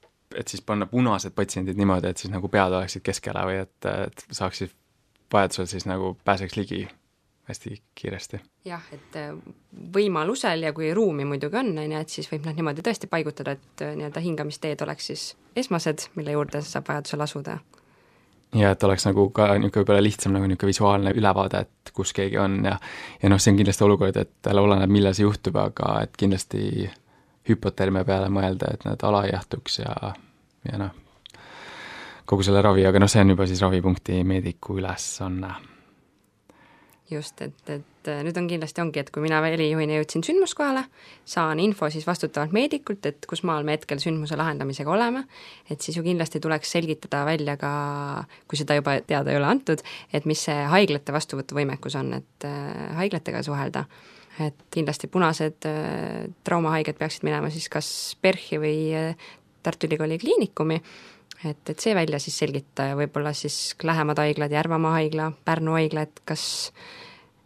et siis panna punased patsiendid niimoodi, et siis nagu pead oleksid keskele või et saaksid vajadusel siis nagu pääseks ligi hästi kiiresti. Jah, et võimalusel ja kui ruumi muidugi on, et siis võib nad niimoodi tõesti paigutada, et nii-öelda hingamisteed oleks siis esmased, mille juurde saab vajadusel asuda. Ja et oleks nagu ka niisugune võib-olla lihtsam nagu niisugune visuaalne ülevaade, et kus keegi on ja noh, see on kindlasti olukord, et oleneb, millal see juhtub, aga et kindlasti hüpotermia peale mõelda, et need ala ei jahtuks ja noh, kogu selle ravi, aga noh, see on juba siis ravipunkti meediku ülesanne. Just, et nüüd on kindlasti ongi, et kui mina välijuhina jõudsin sündmuskohale, saan info siis vastutavalt meedikult, et kus maal me hetkel sündmuse lahendamisega oleme, et siis ju kindlasti tuleks selgitada välja ka, kui seda juba teada ei ole antud, et mis see haiglate vastuvõtuvõimekus on, et haiglatega suhelda. Et kindlasti punased traumahaiged peaksid minema siis kas PERH-i või Tartu Ülikooli kliinikumi, et see välja siis selgitada ja võib-olla siis lähemad haiglad, Järvamaa haigla, Pärnu haigla,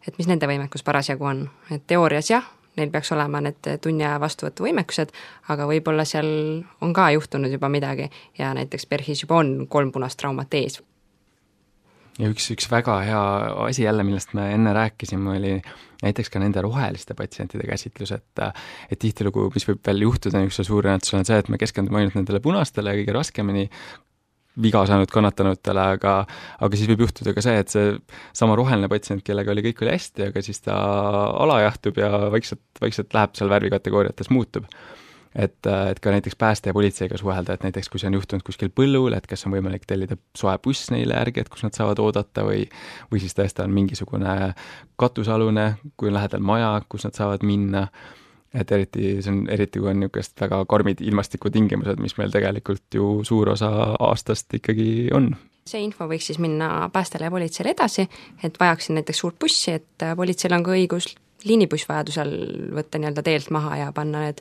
et mis nende võimekus parasjagu on. Et teoorias jah, neil peaks olema need tunniaja vastuvõtuvõimekused, aga võib-olla seal on ka juhtunud juba midagi ja näiteks PERH-is juba on 3 punast traumat ees. Ja üks väga hea asi jälle, millest me enne rääkisime, oli näiteks ka nende roheliste patsientide käsitlus, et tihtilugu, mis võib veel juhtuda niisuguse suurõnnetusel, on see, et me keskendume ainult nendele punastele ja kõige raskemini viga saanud kannatanutele, aga siis võib juhtuda ka see, et see sama roheline patsient, kellega kõik oli hästi, aga siis ta alajahtub ja vaikselt läheb seal värvikategooriates muutub. Et ka näiteks pääste ja politseiga suhelda, et näiteks kui see on juhtunud kuskil põllul, et kas on võimalik tellida soe buss neile järgi, et kus nad saavad oodata või siis tõesti on mingisugune katusalune, kui on lähedal maja, kus nad saavad minna, et eriti kui on niisugust väga karmid ilmastikutingimused, mis meil tegelikult ju suur osa aastast ikkagi on. See info võiks siis minna päästele ja politseile edasi, et vajaksin näiteks suurt bussi, et politseil on ka õigus liinibuss vajadusel võtta nii-öelda teelt maha ja panna need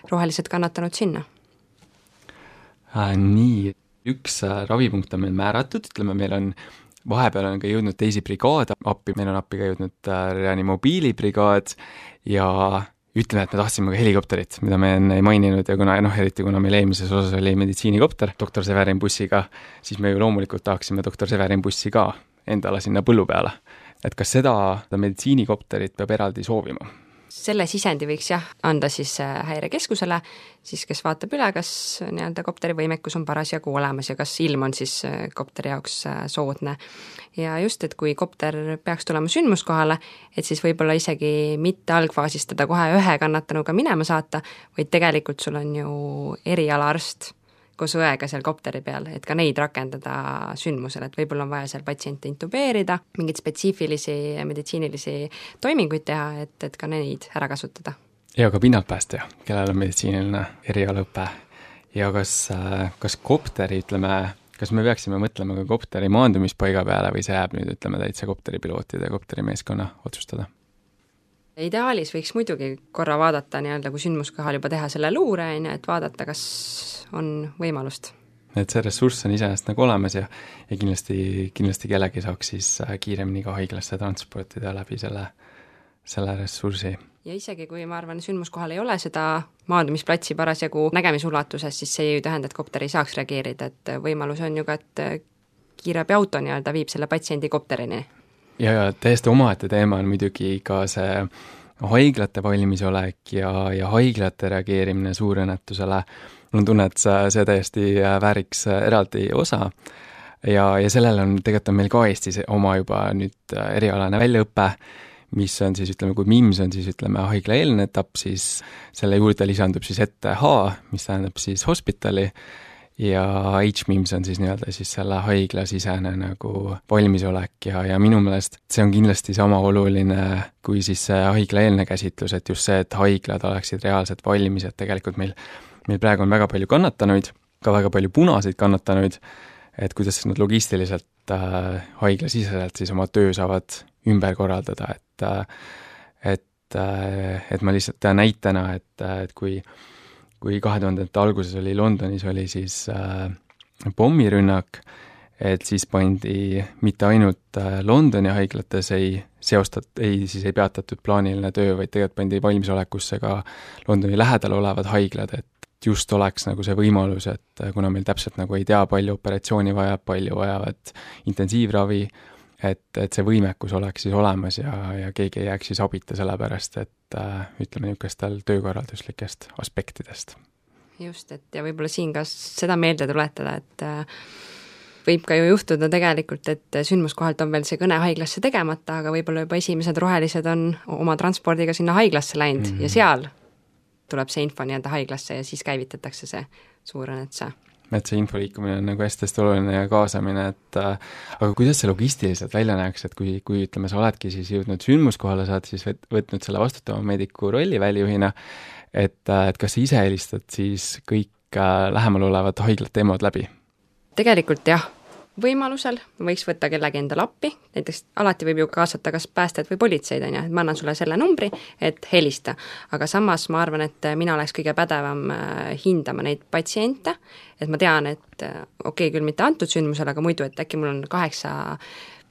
rohelised kannatanud sinna. Nii, üks ravipunkt on meil määratud, ütleme, meil on vahepeal on ka jõudnud teisi brigaade appi, meil on appi ka jõudnud reanimobiilibrigaad ja ütleme, et me tahtsime ka helikopterit, mida me enne ei maininud ja eriti kuna meil eelmises osas oli meditsiinikopter doktor Severin bussiga, siis me ju loomulikult tahaksime doktor Severin bussi ka endale sinna põllu peale. Et kas seda meditsiinikopterit peab eraldi soovima? Selle sisendi võiks jah anda siis häirekeskusele, siis kes vaatab üle, kas nii-öelda kopteri võimekus on parasjagu olemas ja kas ilm on siis kopteri jaoks soodne. Ja just, et kui kopter peaks tulema sündmuskohale, et siis võib-olla isegi mitte algfaasistada kohe ühe kannatanuga minema saata, vaid tegelikult sul on ju erialaarst koos õega seal kopteri peal, et ka neid rakendada sündmusel, et võib-olla on vaja seal patsiente intubeerida, mingeid spetsiifilisi meditsiinilisi toiminguid teha, et ka neid ära kasutada. Ja ka pinnaltpäästja, kellel on meditsiiniline erialaõpe. Ja kas kopteri, kas me peaksime mõtlema ka kopteri maandumispaiga peale või see jääb nüüd, täitsa kopteripilootide ja kopterimeeskonna otsustada? Ideaalis võiks muidugi korra vaadata nii-öelda, kui sündmuskohal juba teha selle luure, et vaadata, kas on võimalust. Et see ressurss on iseenesest nagu olemas ja kindlasti kellegi saaks siis kiiremini ka haiglasse transportida läbi selle ressursi. Ja isegi kui ma arvan, sündmuskohal ei ole seda maandumisplatsi parasjagu nägemisulatuses, siis see ei tähenda, et kopter ei saaks reageerida, et võimalus on ju ka, et kiirabi auto nii-öelda viib selle patsiendi kopterini. Ja täiesti omaette teema on muidugi ka see haiglate valmisolek ja haiglate reageerimine suurõnnetusele. Mul on tunne, et see täiesti vääriks eraldi osa ja sellele on tegelikult meil ka Eestis oma juba nüüd erialane väljaõpe, mis on siis, kui MIMS on siis, haiglaeelne etapp, siis selle juurde lisandub siis ETH, mis tähendab siis hospitali ja HMIMS on siis nii-öelda siis selle haiglasisene nagu valmisolek ja minu meelest see on kindlasti sama oluline kui siis see haiglaeelne käsitlus, et just see, et haiglad oleksid reaalselt valmis, et tegelikult meil praegu on väga palju kannatanuid, ka väga palju punaseid kannatanuid, et kuidas nad logistiliselt haiglasiseselt siis oma töö saavad ümber korraldada, et ma lihtsalt tean näitena, et kui 2000-ndate alguses oli Londonis oli siis pommirünnak, et siis pandi mitte ainult Londoni haiglates ei peatatud plaaniline töö, vaid tegelikult pandi valmisolekusse ka Londoni lähedal olevad haiglad, et just oleks nagu see võimalus, et kuna meil täpselt nagu ei tea, palju operatsiooni vajab, palju vajavad intensiivravi, et see võimekus oleks siis olemas ja keegi ei jääks siis abita sellepärast, et ütleme niisugustel töökorralduslikest aspektidest. Just, et ja võib-olla siin ka seda meelde tuletada, et võib ka ju juhtuda tegelikult, et sündmuskohalt on veel see kõne haiglasse tegemata, aga võib-olla juba esimesed rohelised on oma transpordiga sinna haiglasse läinud ja seal tuleb see info nii-öelda haiglasse ja siis käivitatakse see suurõnnetuse. Et see info liikumine on nagu hästi oluline ja kaasamine, et aga kuidas see logistiliselt välja näeks, et kui ütleme, sa oledki siis jõudnud sündmuskohale, sa oled siis võtnud selle vastutava meediku rolli välijuhina, et kas sa ise helistad siis kõik lähemal olevad haiglad teemad läbi? Tegelikult jah, võimalusel võiks võtta kellegi endale appi, näiteks alati võib ju kaasata kas päästed või politseid, on ju, et ma annan sulle selle numbri, et helista. Aga samas ma arvan, et mina oleks kõige pädevam hindama neid patsiente, et ma tean, et okei, küll mitte antud sündmusel, aga muidu, et äkki mul on 8,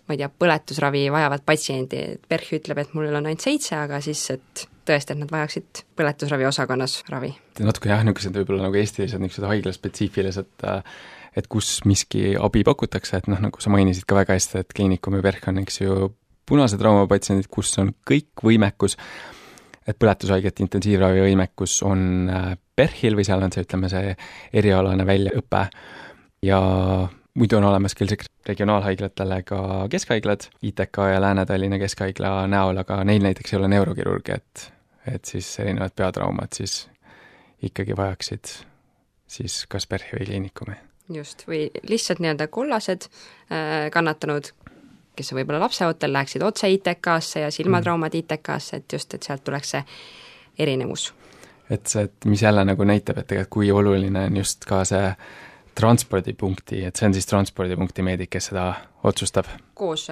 ma ei tea, põletusravi vajavat patsiendi, et PERH ütleb, et mul on ainult 7, aga siis, et tõesti, et nad vajaksid põletusravi osakonnas ravi. Natuke jah, niisugused võib-olla nagu eestilised niisugused haiglaspetsiifilised, et kus miski abi pakutakse, et nagu sa mainisid ka väga hästi, et kliinikum ja PERH on, eks ju, punase traumapatsiendid, kus on kõik võimekus, et põletushaigete intensiivravi võimekus on PERH-il või seal on see, ütleme, see erialane väljaõpe ja muidu on olemas küll regionaalhaiglatele ka keskhaiglad, ITK ja Lääne-Tallinna keskhaigla näol, aga neil näiteks ei ole neurokirurgi, et siis erinevad peatraumad siis ikkagi vajaksid siis kas PERH-i või kliinikumi. Just, või lihtsalt nii-öelda kollased kannatanud, kes on võib-olla lapseootel, läheksid otse ITK-sse ja silmatraumad ITK-sse, et just, et sealt tuleks see erinevus. Et mis jälle nagu näitab, et tegelikult kui oluline on just ka see transpordipunkti, et see on siis transpordipunkti meedik, kes seda otsustab? Koos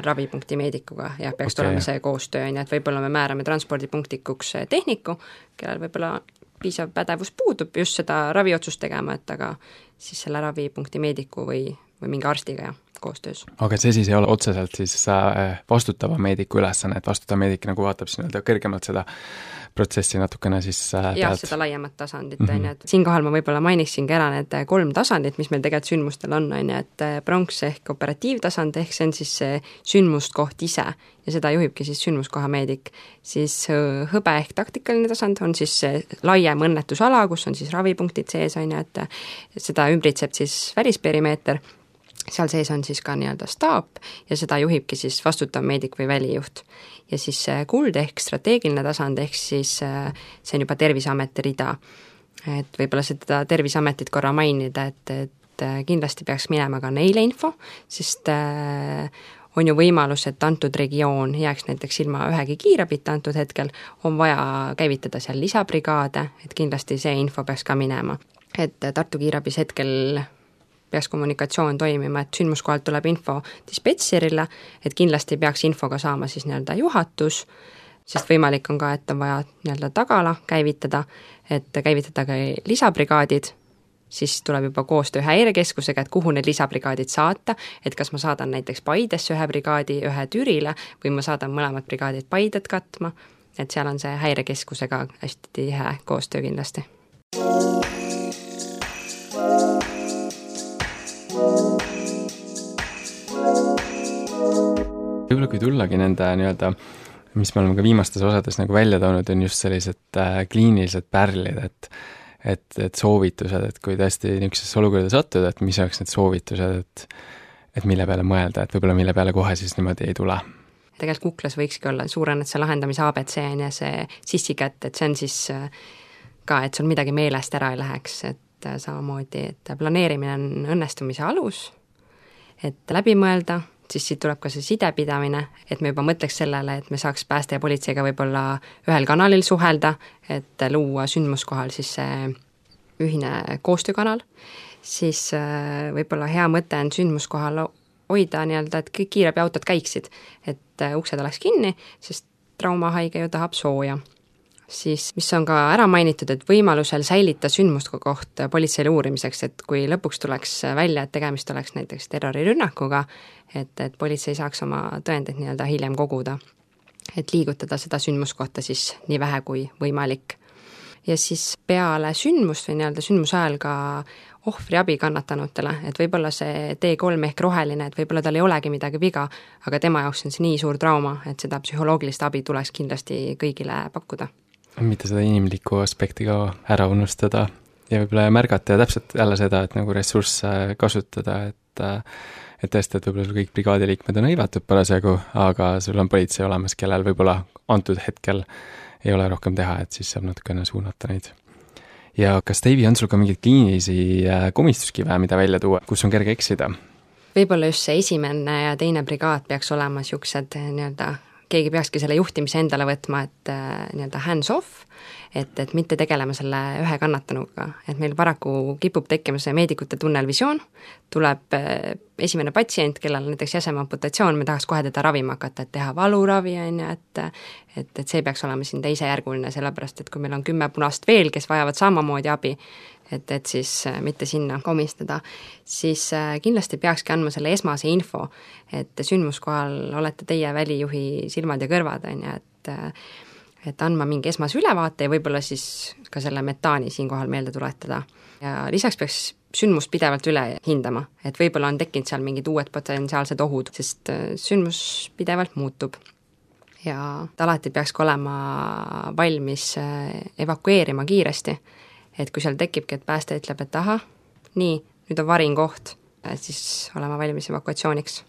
ravipunkti meedikuga, jah, peaks tulema see koostöö, et võib-olla me määrame transpordipunktikuks tehniku, kellel võib-olla piisav pädevus puudub just seda raviotsust tegema, et aga siis selle ravipunkti meediku või mingi arstiga ja koostöös. Aga see siis ei ole otseselt siis vastutava meediku ülesanne, et vastutav meedik nagu vaatab siin kõrgemalt seda protsessi natukene siis jah, seda laiemat tasandit, on ju, et siinkohal ma võib-olla mainiksin ka ära need 3 tasandit, mis meil tegelikult sündmustel on ju, et pronks ehk operatiivtasand, ehk see on siis see sündmuskoht ise ja seda juhibki siis sündmuskoha meedik, siis hõbe ehk taktikaline tasand on siis laiem õnnetusala, kus on siis ravipunktid sees, on ju, et seda ümbritseb siis välisperimeeter, seal sees on siis ka nii-öelda staap ja seda juhibki siis vastutav meedik või välijuht. Ja siis kuld ehk strateegiline tasand, ehk siis see on juba Terviseameti rida. Et võib-olla seda Terviseametit korra mainida, et kindlasti peaks minema ka neile info, sest on ju võimalus, et antud regioon jääks näiteks ilma ühegi kiirabita antud hetkel, on vaja käivitada seal lisabrigaade, et kindlasti see info peaks ka minema. Et Tartu kiirabis hetkel peaks kommunikatsioon toimima, et sündmuskohalt tuleb info dispetserile, et kindlasti peaks infoga saama siis nii-öelda juhatus, sest võimalik on ka, et on vaja nii-öelda tagala käivitada, et käivitada ka lisabrigaadid, siis tuleb juba koostöö häirekeskusega, et kuhu need lisabrigaadid saata, et kas ma saadan näiteks Paidesse ühe brigaadi, ühe Türile või ma saadan mõlemad brigaadid Paidet katma, et seal on see häirekeskusega hästi tihe koostöö kindlasti. Võib-olla kui tullagi nende nii-öelda, mis me oleme ka viimastes osades nagu välja toonud, on just sellised kliinilised pärlid, et soovitused, et kui tõesti niisugusesse olukorda sattuda, et mis oleks need soovitused, et mille peale mõelda, et võib-olla mille peale kohe siis niimoodi ei tule. Tegelikult kuklas võikski olla suurõnnetuse lahendamise ABC on ja see sissikätt, et see on siis ka, et sul midagi meelest ära ei läheks, et samamoodi, et planeerimine on õnnestumise alus, et läbi mõelda, siis siit tuleb ka see sidepidamine, et me juba mõtleks sellele, et me saaks pääste ja politseiga võib-olla ühel kanalil suhelda, et luua sündmuskohal siis see ühine koostöökanal, siis võib-olla hea mõte on sündmuskohal hoida nii-öelda, et kõik kiirabiautod käiksid, et uksed oleks kinni, sest traumahaige ju tahab sooja. Siis, mis on ka ära mainitud, et võimalusel säilita sündmuskoht politseile uurimiseks, et kui lõpuks tuleks välja, et tegemist oleks näiteks terrorirünnakuga, et politsei saaks oma tõendeid nii-öelda hiljem koguda, et liigutada seda sündmuskohta siis nii vähe kui võimalik. Ja siis peale sündmust või nii-öelda sündmuse ajal ka ohvriabi kannatanutele, et võib-olla see T3 ehk roheline, et võib-olla tal ei olegi midagi viga, aga tema jaoks on see nii suur trauma, et seda psühholoogilist abi tuleks kindlasti kõigile pakkuda. Mitte seda inimlikku aspekti ka ära unustada ja võib-olla märgata ja täpselt jälle seda, et nagu ressursse kasutada, et tõesti, et võib-olla sul kõik brigaadiliikmed on hõivatud parasjagu, aga sul on politsei olemas, kellel võib-olla antud hetkel ei ole rohkem teha, et siis saab natukene suunata neid. Ja kas, Deivi, on sul ka mingeid kliinilisi komistuskive, mida välja tuua, kus on kerge eksida? Võib-olla just see esimene ja teine brigaad peaks olema siuksed nii-öelda keegi peakski selle juhtimise endale võtma, et nii-öelda hands off, et mitte tegelema selle ühe kannatanuga, et meil paraku kipub tekkima see meedikute tunnelvisioon, tuleb esimene patsient, kellel näiteks jäsemeamputatsioon, me tahaks kohe teda ravima hakata, et teha valuravi, et see peaks olema siin teisejärguline, sellepärast et kui meil on 10 punast veel, kes vajavad samamoodi abi, et siis mitte sinna komistada, siis kindlasti peakski andma selle esmase info, et sündmuskohal olete teie välijuhi silmad ja kõrvad, et andma mingi esmase ülevaate ja võib-olla siis ka selle metaani siinkohal meelde tuletada. Ja lisaks peaks sündmust pidevalt üle hindama, et võib-olla on tekkinud seal mingid uued potentsiaalsed ohud, sest sündmus pidevalt muutub. Ja alati peaks ka olema valmis evakueerima kiiresti, et kui seal tekibki, et pääste ütleb, et aha, nii, nüüd on varin koht, siis olema valmis evakuatsiooniks.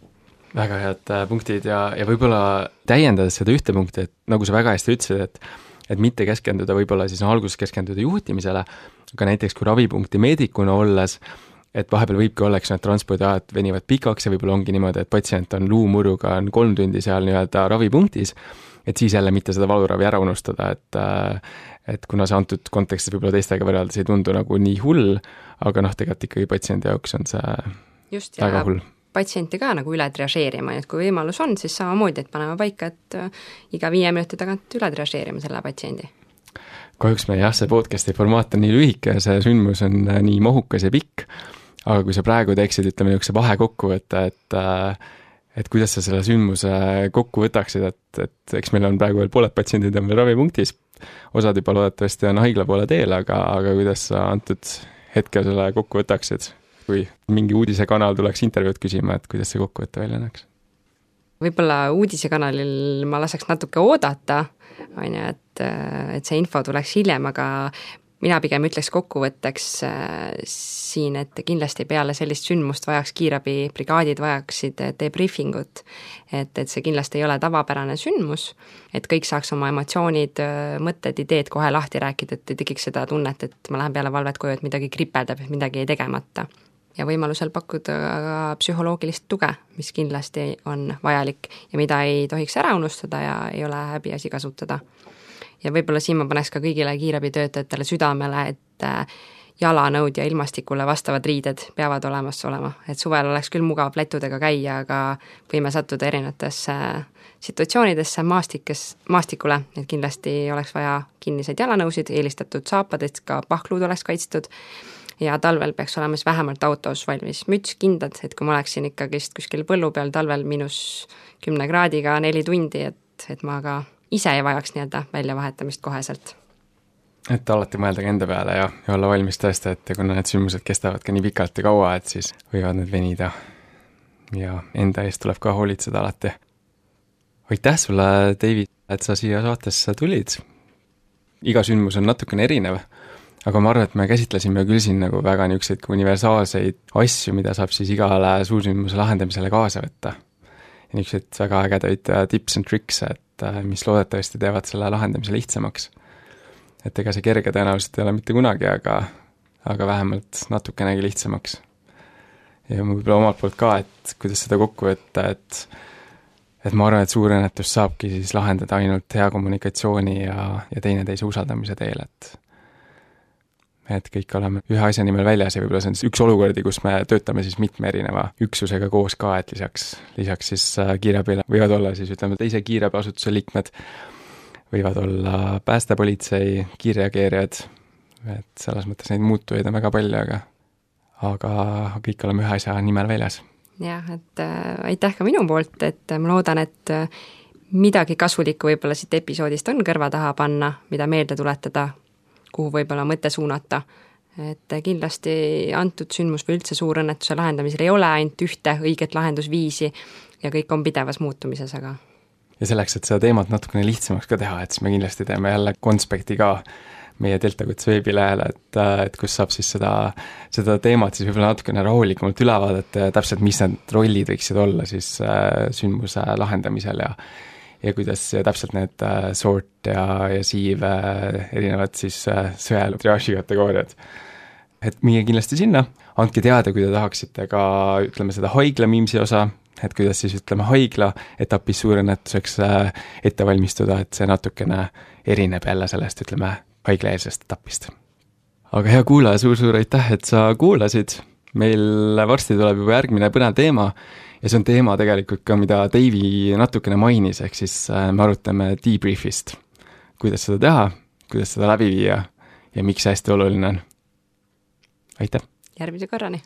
Väga head punktid ja võib-olla täiendades seda ühte punkti, et nagu sa väga hästi ütlesid, et mitte keskenduda võib-olla siis alguses keskenduda juhtimisele, aga näiteks kui ravipunkti meedikuna olles, et vahepeal võibki olla, eks need transpordiajad venivad pikaks ja võib-olla ongi niimoodi, et patsient on luumuruga, on 3 tundi seal nii-öelda ravipunktis, et siis jälle mitte seda valuravi ära unustada, et kuna see antud kontekstis võib-olla teistega võrreldes ei tundu nagu nii hull, aga tegelikult ikkagi patsiendi jaoks on see just, väga hull. Patsienti ka nagu üle triažeerima, et kui võimalus on, siis samamoodi, et paneme paika, et iga 5 minuti tagant üle triažeerima selle patsiendi. Kahjuks me see podcasti formaat on nii lühike ja see sündmus on nii mahukas ja pikk, aga kui sa praegu teeksid, ütleme, niisuguse vahekokkuvõtte, et kuidas sa selle sündmuse kokku võtaksid, et eks meil on praegu veel pooled patsiendid on veel ravipunktis, osad juba loodetavasti on haigla poole teel, aga kuidas sa antud hetkel selle kokku võtaksid, kui mingi uudisekanal tuleks intervjuud küsima, et kuidas see kokkuvõte välja näeks? Võib-olla uudisekanalil ma laseks natuke oodata, et see info tuleks hiljem, aga mina pigem ütleks kokkuvõtteks siin, et kindlasti peale sellist sündmust vajaks kiirabibrigaadid, vajaksid debriefingut, et see kindlasti ei ole tavapärane sündmus, et kõik saaks oma emotsioonid, mõtted, ideed kohe lahti rääkida, et ei tekiks seda tunnet, et ma lähen peale valvet koju, et midagi kripeldab, et midagi ei tegemata. Ja võimalusel pakkuda ka psühholoogilist tuge, mis kindlasti on vajalik ja mida ei tohiks ära unustada ja ei ole häbiasi kasutada. Ja võib-olla siin ma paneks ka kõigile kiirabitöötajatele südamele, et jalanõud ja ilmastikule vastavad riided peavad olemas olema, et suvel oleks küll mugav plätudega käia, aga võime sattuda erinevatesse situatsioonidesse maastikule, et kindlasti oleks vaja kinniseid jalanõusid, eelistatud saapad, et ka pahkluud oleks kaitstud ja talvel peaks olema siis vähemalt autos valmis müts, kindad, et kui ma oleksin ikkagi kuskil põllu peal talvel -10 kraadiga 4 tundi, et ma ka ise ei vajaks nii-öelda väljavahetamist koheselt. Et alati mõelda enda peale ja olla valmis tõesti, et kuna need sündmused kestavad ka nii pikalt ja kaua, et siis võivad need venida ja enda eest tuleb ka hoolitseda alati. Aitäh sulle, Deivi, et sa siia saatesse tulid. Iga sündmus on natukene erinev, aga ma arvan, et me käsitlesime küll siin nagu väga niisuguseid universaalseid asju, mida saab siis igale suursündmuse lahendamisele kaasa võtta. Ja niisuguseid väga ägedaid tips and tricks, et mis loodetavasti teevad selle lahendamise lihtsamaks. Et ega see kerge tõenäoliselt ei ole mitte kunagi, aga aga vähemalt natukenegi lihtsamaks. Ja võib-olla omalt poolt ka, et kuidas seda kokku võtta, et ma arvan, et suurõnnetus saabki siis lahendada ainult hea kommunikatsiooni ja teineteise usaldamise teel, et kõik oleme ühe asja nimel väljas ja võib-olla see on üks olukordi, kus me töötame siis mitme erineva üksusega koos ka, et lisaks siis kiirabile võivad olla siis ütleme teise kiirabiasutuse liikmed, võivad olla päästepolitsei, kiirreageerijad, et selles mõttes neid muutujaid on väga palju, aga kõik oleme ühe asja nimel väljas. Jah, et aitäh ka minu poolt, et ma loodan, et midagi kasulikku võib-olla siit episoodist on kõrva taha panna, mida meelde tuletada, kuhu võib-olla mõte suunata. Et kindlasti antud sündmus või üldse suurõnnetuse lahendamisel ei ole ainult ühte õiget lahendusviisi ja kõik on pidevas muutumises, aga... Ja selleks, et seda teemat natukene lihtsamaks ka teha, et siis me kindlasti teeme jälle konspekti ka meie Deltakuts veebilehele, et kus saab siis seda teemat siis võib-olla natukene rahulikumalt üle vaadata ja täpselt, mis need rollid võiksid olla siis sündmuse lahendamisel ja kuidas täpselt need sort ja sieve erinevad siis sõjatriaaži kategooriad. Et minge kindlasti sinna, andke teada, kui te tahaksite ka, ütleme, seda haigla miimsi osa, et kuidas siis, ütleme, haigla etapis suurõnnetuseks ette valmistuda, et see natukene erineb jälle sellest, ütleme, haiglaeelsest etapist. Aga hea kuulaja, suur aitäh, et sa kuulasid. Meil varsti tuleb juba järgmine põnev teema ja see on teema tegelikult ka, mida Davey natukene mainis, ehk siis me arutame debriefist. Kuidas seda teha, kuidas seda läbi viia ja miks see hästi oluline on. Aitäh! Järgmise korrani!